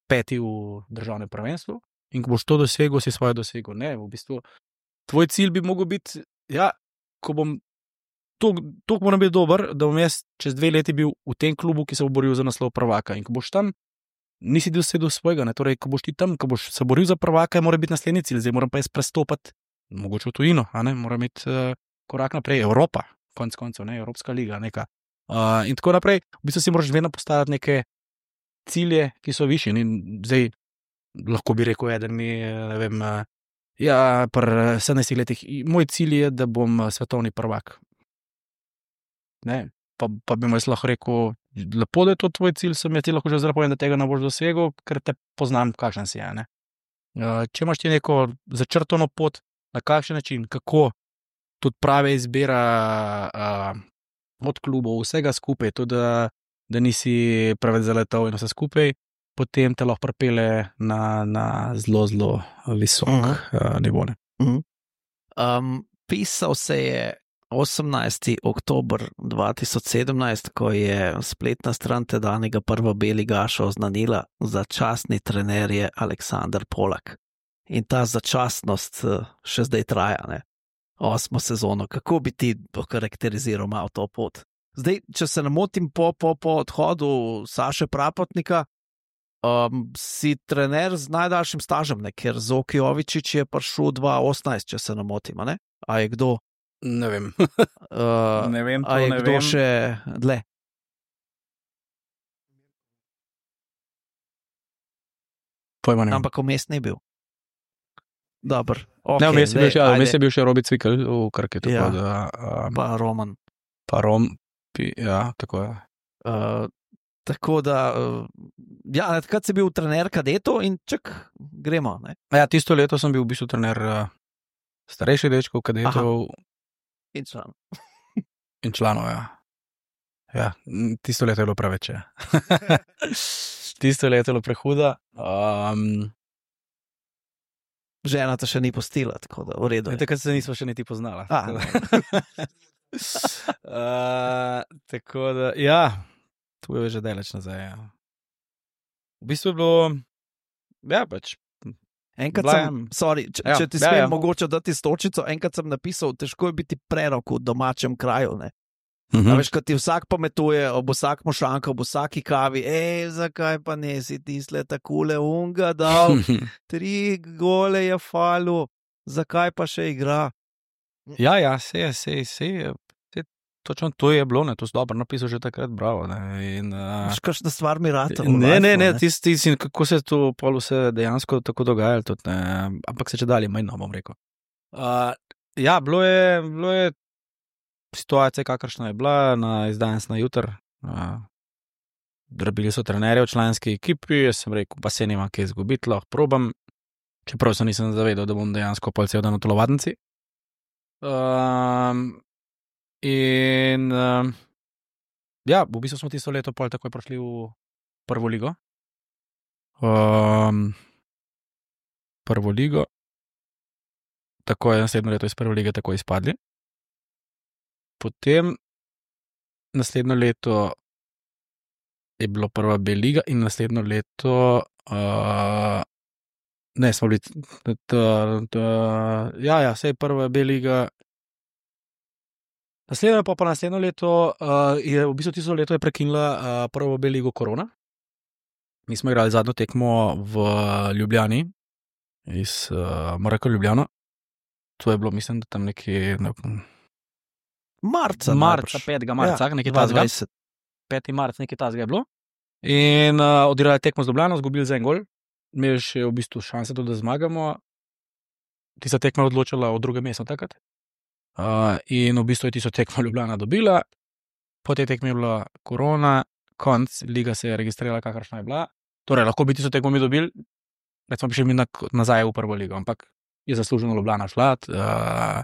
peti v državnem prvenstvu in ko boš to dosegel, si svoje dosegel. Ne, v bistvu, tvoj cilj bi mogel biti, ja, ko bom, to moram biti dober, da bom jaz čez dve leti bil v tem klubu, ki se bo boril za naslov prvaka in ko boš tam, nisi dosegel svojega, ne, torej, ko boš ti tam, ko boš se boril za prvaka, mora biti naslednji cilj, zdaj moram pa jaz prestopati, mogoče v tujino, a ne, moram imeti uh, korak naprej, Evropa, konc koncev, ne, Evropska liga, neka. Uh, in tako naprej, v bistvu si moraš vedno postaviti neke cilje, ki so višji. In zdaj lahko bi rekel, eden mi, ne vem, ja, pri sedemnajstih letih, moj cilj je, da bom svetovni prvak. Ne, pa, pa bi mu jaz lahko rekel, lepo, da je to tvoj cilj, sem jaz ti lahko že zdaj povem, da tega ne boš dosegel, ker te poznam, kakšen si je, ne. Če imaš ti neko začrtano pot, na kakšen način, kako tudi prave izbira uh, od klubov, vsega skupaj, tudi da da nisi preveč zaletel in vse skupaj, potem te lahko pripelje na, na zelo, zelo visok uh -huh. uh, nivo. Uh -huh. um, pisal se je osemnajsti oktober dva tisoč sedemnajst, ko je spletna stran tedanjega Prvobeligaša oznanila, začasni trener je Aleksander Polak. In ta začasnost še zdaj traja, ne? Osmo sezono. Kako bi ti okarakteriziral malo to pot? Zdaj, če se ne motim, po, po, po odhodu Saše Prapotnika, um, si trener z najdaljšim stažem, ne? Ker Zoki Jovičić je prišel dva tisoč osemnajst, če se ne motim, ne? A je kdo? Ne vem. uh, ne vem, to a je ne kdo vem. še dlje? Pojma ne vem. Ampak vmes ni bil. Dobar. Okay, ne, vmes je, bil še, ajde. vmes je bil še Robi Cvikl v Krki. Tako Ja. da, um, Pa Roman. pa Rom, pi, ja, tako je. Uh, tako da, uh, ja, takrat si bil trener kadetov in čak, gremo, ne? Ja, tisto leto sem bil v bistvu trener uh, starejših dečkov, kadetov In član. in članov, ja. Ja, tisto leto je bilo preveč, ja. Tisto leto je bilo prehuda. Um, Žena te še ni postila, tako da, v redu. je. takrat se nismo še niti poznala. A. Tako da, uh, tako da, ja, tu je že daleč nazaj, ja. V bistvu je bilo, ja, pač, Enkrat Bila sem, je- sorry, če, Ja, če ti ja, smem ja. mogoče dati stočico, enkrat sem napisal, težko je biti prerok v domačem kraju, ne? uh A veš, ko ti vsak pametuje, ob vsakem šanku, ob vsaki kavi, ej, zakaj pa ne si tisle takole unga dal, tri gole je falu, zakaj pa še igra? Ja, ja, se je, se je, se je, se je, točno to je bilo, ne, to si dobro napisal že takrat, bravo, ne, in... Uh, Veš, kakšna stvar mi rata. v Ne, ne, lifeu, ne, tisti, tis, kako se je to pol vse dejansko tako dogajalo, tudi, ne, ampak se če dalje manj, no, bom rekel. Uh, ja, bilo je, bilo je situacija, kakršna je bila, na izdajanj na jutr. Uh, Drobili so trenerje v članski ekipi, jaz sem rekel, pa se nima kaj izgubiti, lahko probam, čeprav se nisem zavedal, da bom dejansko pol cel dan v telovadnici. Um, in um, ja, v bistvu smo tisto leto pol takoj prišli v prvo ligo. Um, prvo ligo. Tako je naslednjo leto iz prve lige tako izpadli. Potem naslednjo leto je bilo prva B liga in naslednjo leto uh, ne, smo bili t, t, t, ja, ja, sej prva B liga. Naslednjo pa, pa naslednjo leto uh, je v bistvu tisto leto je prekinila uh, prvo B ligo korona. Mi smo igrali zadnjo tekmo v Ljubljani iz uh, M R K Ljubljana. To je bilo, mislim, da tam nekje ne, Marca, marca, petega marca, ja, nekaj tazga. peti marec, nekaj tazga je bilo. In uh, odigrali tekmo z Ljubljano, zgubili za en gol. Imeli še v bistvu šanse tudi, da zmagamo. Tista tekma je odločila o drugem mestu takrat. Uh, in v bistvu je tisto tekmo Ljubljana dobila. Po tej tekmi je bila korona, konc, liga se je registrirala, kakršna je bila. Torej, lahko bi tisto tekmo mi dobili, recimo bi še mi nazaj v prvo ligo, ampak je zasluženo Ljubljana šla, uh,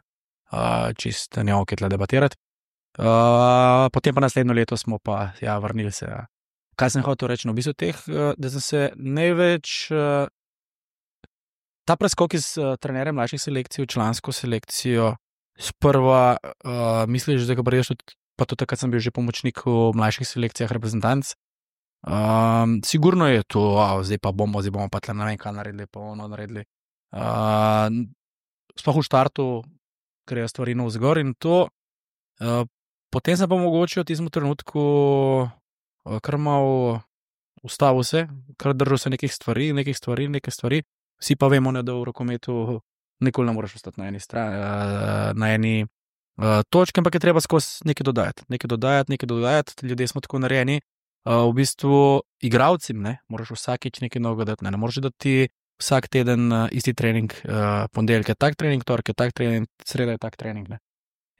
uh, čist ne ok je tle debatirati. Uh, potem pa naslednjo leto smo pa ja, vrnili se. Ja. Kaj sem hotel reči? No, v bistvu teh, uh, da sem se največ uh, ta preskok iz uh, trenerja mlajših selekcij v člansko selekcijo sprva uh, misliš, da ga priješ tudi, pa tudi takrat sem bil že pomočnik v mlajših selekcijah reprezentanc. Um, sigurno je to, wow, zdaj pa bomo, zdaj bomo pa tle ne vem kaj naredili, pa ono naredili. Uh, sploh v štartu grejo stvari navzgor in to uh, potem sem pa mogoče v tistem trenutku uh, kar mal ustavil se, kar držal se nekih stvari, nekih stvari, nekih stvari. Vsi pa vemo, ne, da v rokometu nikoli ne moreš ostati na eni strani, uh, na eni uh, točki, ampak je treba skozi nekaj dodajati, nekaj dodajati, nekaj dodajati. Ljudje smo tako narejeni. Uh, v bistvu igralcem, ne, moraš vsakič nekaj novega dati, ne, ne moreš dati vsak teden uh, isti trening, uh, ponedeljek je tak trening, torek je tak trening, sreda je tak trening, ne.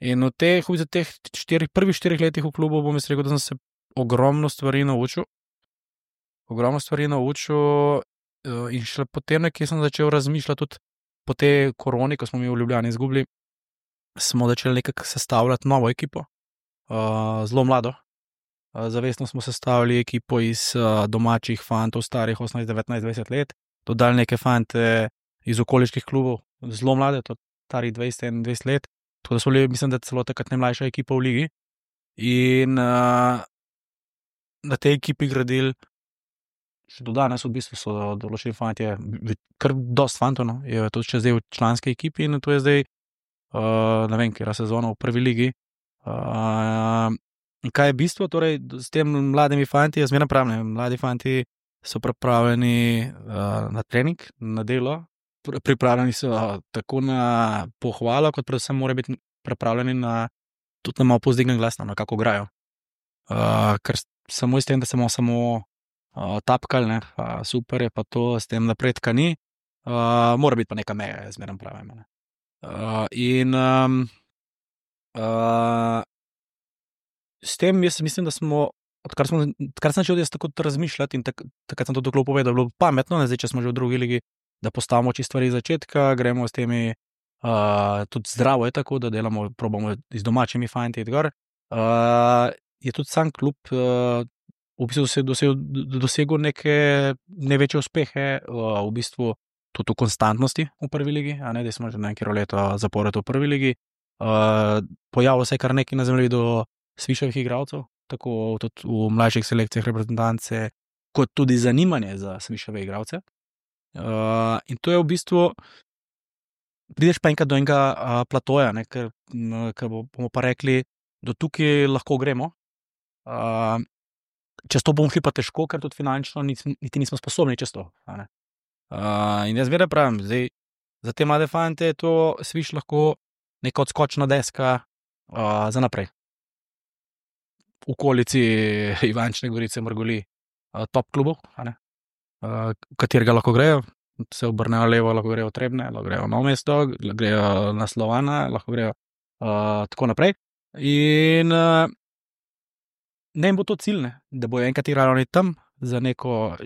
In v teh, v teh štirih, prvih štirih letih v klubu bom jaz rekel, da sem se ogromno stvari naučil, ogromno stvari naučil uh, in šele potem nekaj sem začel razmišljati tudi po tej koroni, ko smo mi v Ljubljani izgubili, smo začeli nekako sestavljati novo ekipo, uh, zelo mlado. Zavestno smo sestavili ekipo iz uh, domačih fantov, starih osemnajst, devetnajst, dvajset let, dodali neke fante iz okoliških klubov, zelo mlade, to starih dvajset, enaindvajset let, tako da smo bili, mislim, da celo takrat najmlajša ekipa v ligi. In uh, na tej ekipi gradili, še do danes v bistvu so določeni fantje, kar dost fantov, no, je to še zdaj v članski ekipi in to je zdaj, uh, ne vem, kera sezona v prvi ligi. Uh, In kaj je bistvo, torej, s tem mladimi fanti, jaz zmeraj pravim, mladi fanti so pripravljeni uh, na trening, na delo, pripravljeni so tako na pohvalo, kot predvsem morajo biti pripravljeni na tudi na malo povzdignjen glas, na kako igrajo. Uh, ker samo iz tem, da se bomo samo uh, tapkali, ne, uh, super je pa to, s tem napredka ni, uh, mora biti pa neka meja, jaz zmeraj pravim. Uh, in um, uh, s tem jaz mislim, da smo, odkar, smo, odkar sem začel jaz tako razmišljati in tak, takrat sem to tako povedal, da je bilo pametno, ne zdaj, če smo že v drugi ligi, da postavimo čisto stvari iz začetka, gremo s temi, uh, tudi zdravo je tako, da delamo, probamo z domačimi fanti iti gor. Uh, je tudi sam klub uh, v bistvu dosegel, dosegel neke največje uspehe, uh, v bistvu tudi v konstantnosti v prvi ligi, a ne, da smo že nekaj leto zapored v prvi ligi. Uh, pojavilo se je kar nekaj na zemljevidu svišavih igralcev, tako tudi v mlajših selekcijah reprezentance, kot tudi zanimanje za svišave igralce. Uh, in to je v bistvu, prideš pa enkrat do enega uh, platoja, ne, ker, ker bomo pa rekli, do tukaj lahko gremo. Uh, čez to bomo šli pa težko, ker tudi finančno niti, niti nismo sposobni čez to. Uh, in jaz vedno pravim, zdaj, za te mlade fante je to sviš lahko neka odskočna deska uh, za naprej. V okolici Ivančne Gorice, Mrgoli, top klubov, v katerega lahko grejo, se obrnejo levo, lahko grejo v Trebne, lahko grejo v Novo mesto, grejo na Slovana, lahko grejo uh, tako naprej. In uh, ne jim bo to cilj, ne, da bojo enkrat igrali tam za neko,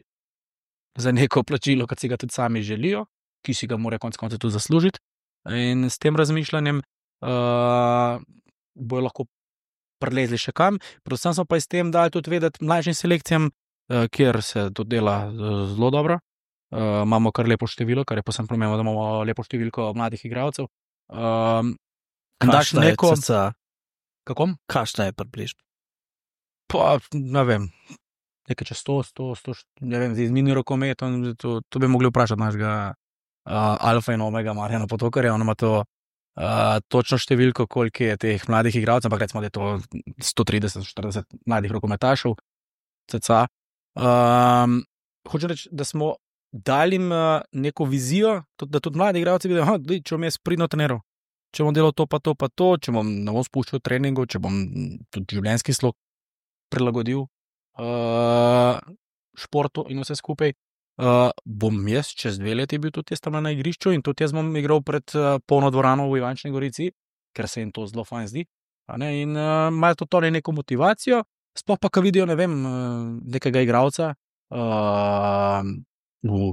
za neko plačilo, kot si ga tudi sami želijo, ki si ga morajo konec koncev tudi zaslužiti. In s tem razmišljanjem uh, bojo lahko prelezli še kam. Predvsem smo pa s tem dali tudi vedeti mlajšim selekcijam, uh, kjer se to dela uh, zelo dobro. Uh, imamo kar lepo število, kar je posebno pomembno, da imamo lepo številko mladih igralcev. Um, Kakšna je neko... cca? Kako? Kakšna je približno? Pa, ne vem, nekaj čez sto, sto, sto, ne vem, z mini rokometom, to, to bi mogli vprašati našega uh, alfa in omega Marjana Potokarja, on ima to uh, točno številko, koliko je teh mladih igralcev, ampak recimo, da je to sto trideset do štirideset mladih rokometašev, cca. Um, hočem reči, da smo dali jim uh, neko vizijo, tudi, da tudi mladi igralci vidijo, da če bom jaz pridno treniral, če bom delal to pa to pa to, če bom ne bom spuščal treningu, če bom tudi življenjski slog prilagodil uh, športu in vse skupaj, uh, bom jaz čez dve leti bil tudi jaz tam na igrišču in tudi jaz bom igral pred uh, polno dvorano v Ivančni Gorici, ker se jim to zelo fajn zdi. Ne? In uh, imajo to torej neko motivacijo, sploh pa, ko vidijo, ne vem, uh, nekega igralca, uh, v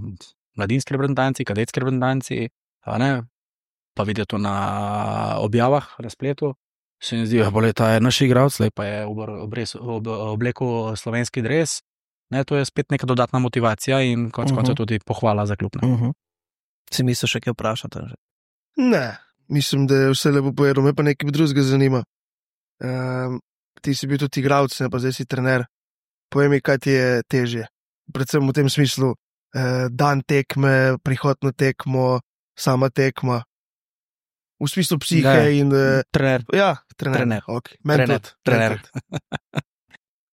mladinski reprezentanci, kadetski reprezentanci, pa vidijo to na objavah na spletu, se jim zdi, da ta je naš igralec, pa je oblekel slovenski dres. Ne, to je spet neka dodatna motivacija in konec koncev uh -huh. tudi pohvala za klub. Uh -huh. Si misliš še kaj vprašati? Že? Ne, mislim, da je vse lepo povedal, me pa nekaj drugega zanima. Um, ti si bil tudi igralec, ne pa zdaj si trener. Povej mi, kaj ti je težje. Predvsem v tem smislu, dan tekme, prihod na tekmo, sama tekma, v smislu psihe ne, in... Trener. Ja, trener. Trener. Okay. Trener. trener.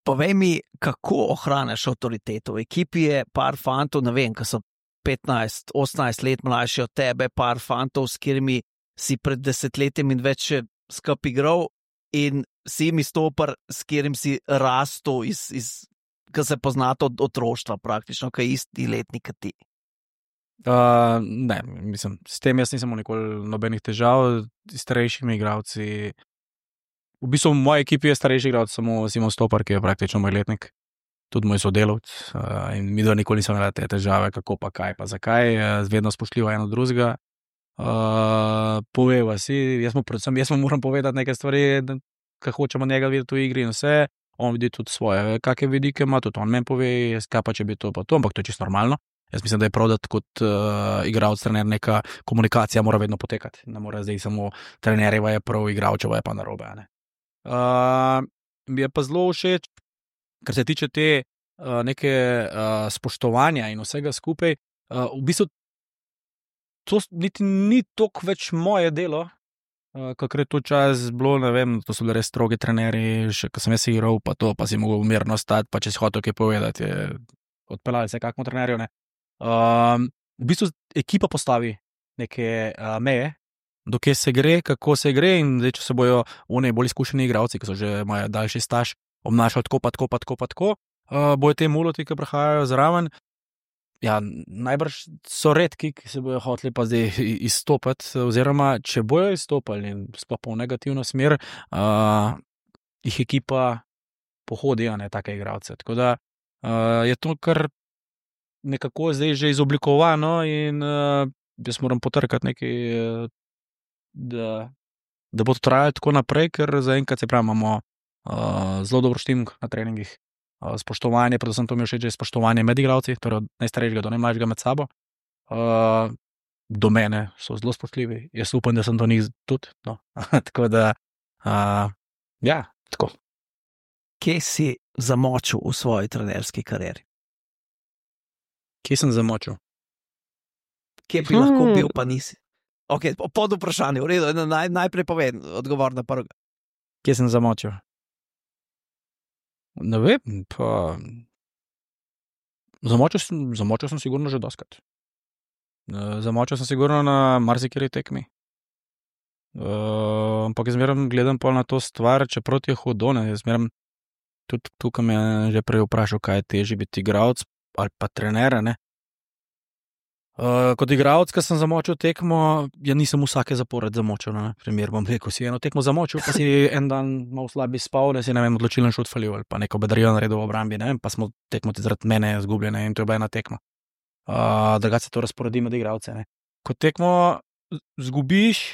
Povej mi, kako ohraniš avtoriteto. V ekipi je par fantov, ne vem, ki so petnajst, osemnajst let mlajši od tebe, par fantov, s katerimi si pred desetletjem in več skupaj igral in si mi stopar, s katerim si rastel iz... iz ki se poznate od otroštva praktično, ki je isti letnik kot ti. Uh, ne, mislim, s tem jaz nisem nikoli nobenih težav, s starejšimi igralci. V bistvu v moji ekipi je starejši igralec samo Simon Stopar, ki je praktično moj letnik, tudi moj sodelavec. Uh, in mi dva nikoli nismo imeli te težave, kako pa kaj pa zakaj, uh, vedno spoštljivo eno drugega. Uh, poveva si, jaz mu predvsem, jaz mu moram povedati nekaj stvari, ki hočemo njega videti v igri in vse. On vidi tudi svoje, kakšne vidike ima, tudi on meni pove, kaj pa če bi to pa to, ampak to je čisto normalno. Jaz mislim, da je prav, da kot uh, igralec, trener, neka komunikacija mora vedno potekati. Ne mora zdaj samo trenerjeva je prav, igralčeva je pa narobe. Uh, mi je pa zelo všeč, kar se tiče te uh, neke uh, spoštovanja in vsega skupaj. Uh, v bistvu to niti ni toliko več moje delo, kakor je to čas bilo, ne vem, to so bili res strogi trenerji, še ko sem jaz igral, pa to, pa si mogel mirno stati, pa če si hotel kaj povedati, je odpeljali se kakmo trenerju, ne. Um, v bistvu ekipa postavi neke uh, meje, dokje se gre, kako se gre in zdaj, če se bojo oni bolj izkušeni igralci, ki so že imajo daljši staž, obnašali tako, pa tako, pa tako, pa tako, uh, bojo te muloti, ki prihajajo zraven. Ja, najbrž so redki, ki se bojo hoteli pa zdaj izstopati, oziroma če bojo izstopali in sploh pa v negativno smer, uh, jih ekipa pohodi, a ne take igralce. Tako da uh, je to kar nekako zdaj že izoblikovano in uh, jaz moram potrkati nekaj, uh, da, da bo to trajalo tako naprej, ker zaenkrat se pravi, imamo uh, zelo dobro štimk na treningih. Spoštovanje, predvsem to mi je všeč, že spoštovanje med igralci, torej od najstarejšega do najmlajšega med sabo. Uh, do mene so zelo spoštljivi, jaz upam, da sem do njih tudi. No. Tako da, uh, ja, tako. Kje si zamočil v svoji trenerski karieri? Kje sem zamočil? Kje bi hmm. lahko bil, pa nisi? Ok, pod vprašanje, v redu, naj, najprej povem, odgovor na prvega. Kje sem zamočil? Ne vem, pa zamočil sem, zamočil sem sigurno že doskrat. Zamočil sem sigurno na marsikeri tekmi. Uh, ampak jaz zmeraj gledam pa na to stvar, čeprav ti je hudo, ne, jaz zmeraj tudi tukaj me je že prej vprašal, kaj je težje biti igralec ali pa trener, ne. Uh, kot igralec, ko sem zamočil tekmo, ja nisem vsake zapored zamočil, ne, primer bom rekel, si eno tekmo zamočil, pa si en dan malo slabi spal, da si, ne vem, odločilen šut falil ali pa neko bedarijo naredil v obrambi, ne vem, pa smo tekmo ti zaradi mene zgubljene in to je bila ena tekma. Uh, drugače se to razporedi med igralce, ne. Ko tekmo zgubiš,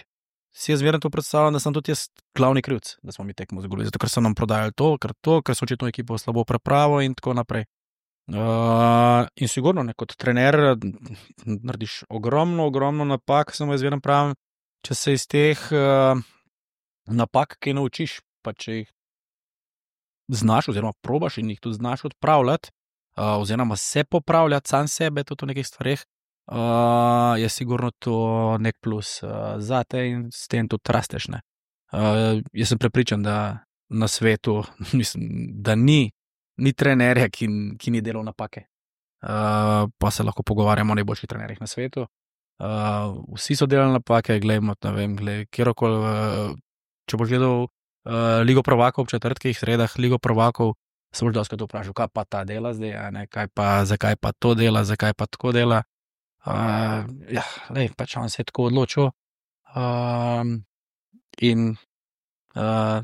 si jaz zmerno to predstavljam, da sem tudi jaz glavni krivc, da smo mi tekmo izgubili, zato ker so nam prodajali to, ker to, ker so očitno ekipo slabo prepravo in tako naprej. Uh, in sigurno, ne, kot trener narediš ogromno, ogromno napak, samo jaz vedno pravim, če se iz teh uh, napak kaj naučiš, pa če jih znaš oziroma probaš in jih tudi znaš odpravljati, uh, oziroma se popravljati sam sebe tudi v nekih stvareh, uh, je sigurno to nek plus uh, za te in s tem tudi rasteš. Ne. Uh, jaz sem prepričan, da na svetu, mislim, da ni ni trenerja, ki, ki ni delal napake. Uh, pa se lahko pogovarjamo o najboljših trenerjih na svetu. Uh, vsi so delali napake, gledamo, ne vem, gled, kjerokoli, uh, če boš gledal uh, Ligo prvakov v četrtkih, sredah Ligo prvakov, se boš doskrat vprašal, kaj pa ta dela zdaj, a ne, kaj pa, zakaj pa to dela, zakaj pa tako dela. Uh, ja, lej, pač on se je tako odločil. Uh, in uh,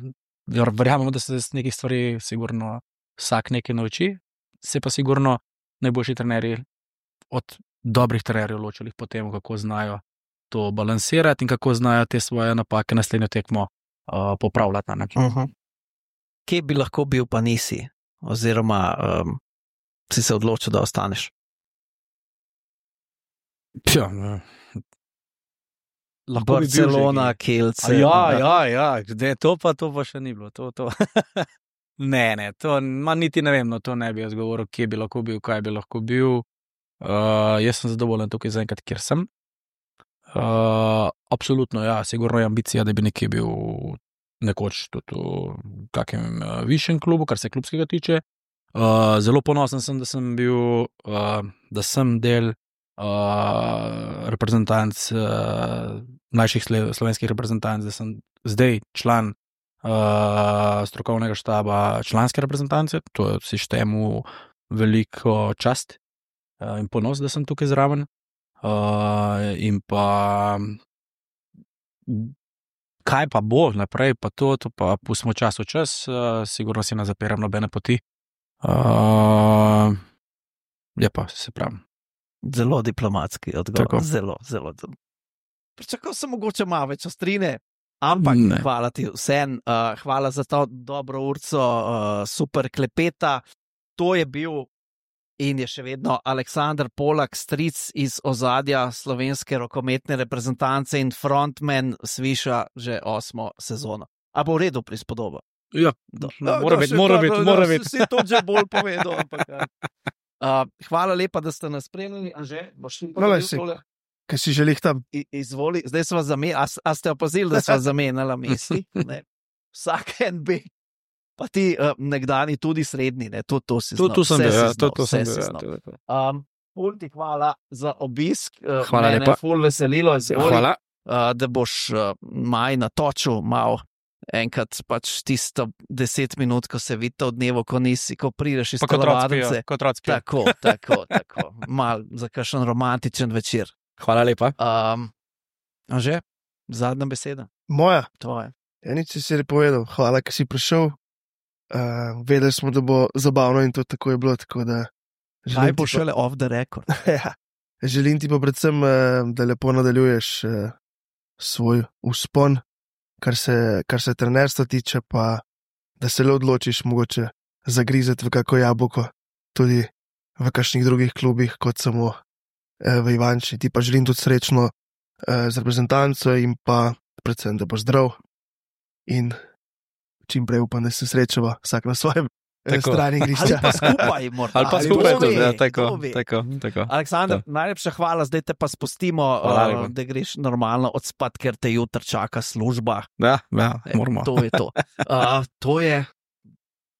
verjamemo, da se z nekih stvari sigurno vsak nekaj nauči, se pa sigurno najboljši trenerji od dobrih trenerjev ločili po tem, kako znajo to balansirati in kako znajo te svoje napake naslednjo tekmo uh, popravljati na način. Uh -huh. Kje bi lahko bil, pa nisi? Oziroma um, si se odločil, da ostaneš? Ja, lahko Barcelona, bi Kielce. Ja, ja, ja, kde to pa, to pa še ni bilo. To, to. ne, ne, to ma, niti ne vem, no to ne bi jaz govoril, kje bi lahko bil, kaj bi lahko bil. Uh, jaz sem zadovoljen tukaj zaenkrat, kjer sem. Uh, absolutno, ja, sigurno je ambicija, da bi nekje bil nekoč tudi v kakem uh, višjem klubu, kar se klubskega tiče. Uh, zelo ponosen sem, da sem bil, uh, da sem del uh, reprezentanc, uh, mlajših slovenskih reprezentanc, da sem zdaj član uh, strokovnega štaba članske reprezentance, to si štejemo veliko čast uh, in ponos, da sem tukaj zraven. Uh, in pa kaj pa bo naprej, pa to, to pa pustimo čas v čas, uh, sigurno si ne zapiram nobene poti. Uh, je pa, se pravim. Zelo diplomatski odgovor. Tako. Zelo, zelo. Pričakoval sem mogoče malo več ostrine, ampak Ne. hvala ti vsem, uh, hvala za to dobro urco, uh, super klepeta. To je bil in je še vedno Aleksander Polak, stric iz ozadja slovenske rokometne reprezentance in frontman Sviša že osmo sezono. A bo v redu prispodoba? Ja, Do- mora No, biti, še mora to, biti, no, mora no, biti. Si to že bolj povedal. Ampak, ja. uh, hvala lepa, da ste nas spremljali. Anže, boš ti No, lej, povedal si- tole? Kaj si želih tam? I- Izvoli, zdaj smo zamenjali, a, s- a ste opazili, da smo zamenjali mesti? Ne. Vsak en bi. Pa ti uh, nekdani tudi srednji, ne, to, to si Tu, znal. tu sem vse bil, si ja, znal, to, to vse sem si bil. Ja, znal. to je to. Um, ful ti hvala za obisk. Uh, Hvala mene lepa. je ful veselilo, izvoli, Hvala. uh, da boš uh, maj natočil malo. Enkrat pač tisto deset minut, ko se vidite v dnevu, ko nisi, ko prideš iz Pa kot telovadnice. rockijo, kot rockijo. Tako, tako, tako. Mal za kakšen romantičen večer. Hvala lepa. Um, Anže, zadnja beseda, Moja. tvoja. Ja, nič si si povedal. Hvala, ker si prišel. Uh, vedeli smo, da bo zabavno in to tako je bilo. Tako da Kaj želim bo ti šele off the record? pa, ja, želim ti pa predvsem, uh, da lepo nadaljuješ uh, svoj vzpon, kar se, kar se trenerstva tiče, pa da se le odločiš mogoče zagrizeti v kako jabolko, tudi v kakšnih drugih klubih, kot samo uh, v Ivanči. Ti pa želim tudi srečno uh, z reprezentanco in pa predvsem, da boš zdrav in čim prej upam, da se srečava vsak na svojem eh, Tako. strani Ali igrišča. pa skupaj, morda. Ali pa Ali skupaj kdo tudi, ve, ja, tako, kdo ve. tako, tako. Aleksandar, najlepša hvala, zdaj te pa spustimo, Hvala uh, lepa. da greš normalno odspat, ker te jutri čaka služba. Ja, ja, E, moramo. To je to. Uh, to je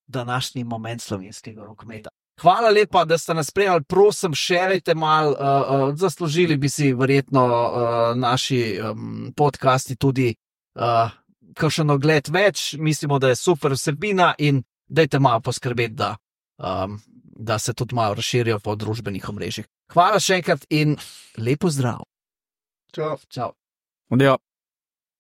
današnji moment slovenskega rokometa. Hvala lepa, da ste nas spremljali. Prosim, šerite malo, uh, uh, zaslužili bi si verjetno uh, naši um, podcasti tudi uh, kakšen ogled več. Mislimo, da je super vsebina in dajte malo poskrbeti, da, um, da se tudi malo razširijo po družbenih omrežjih. Hvala še enkrat in lepo zdrav. Čau. Čau. Adijo.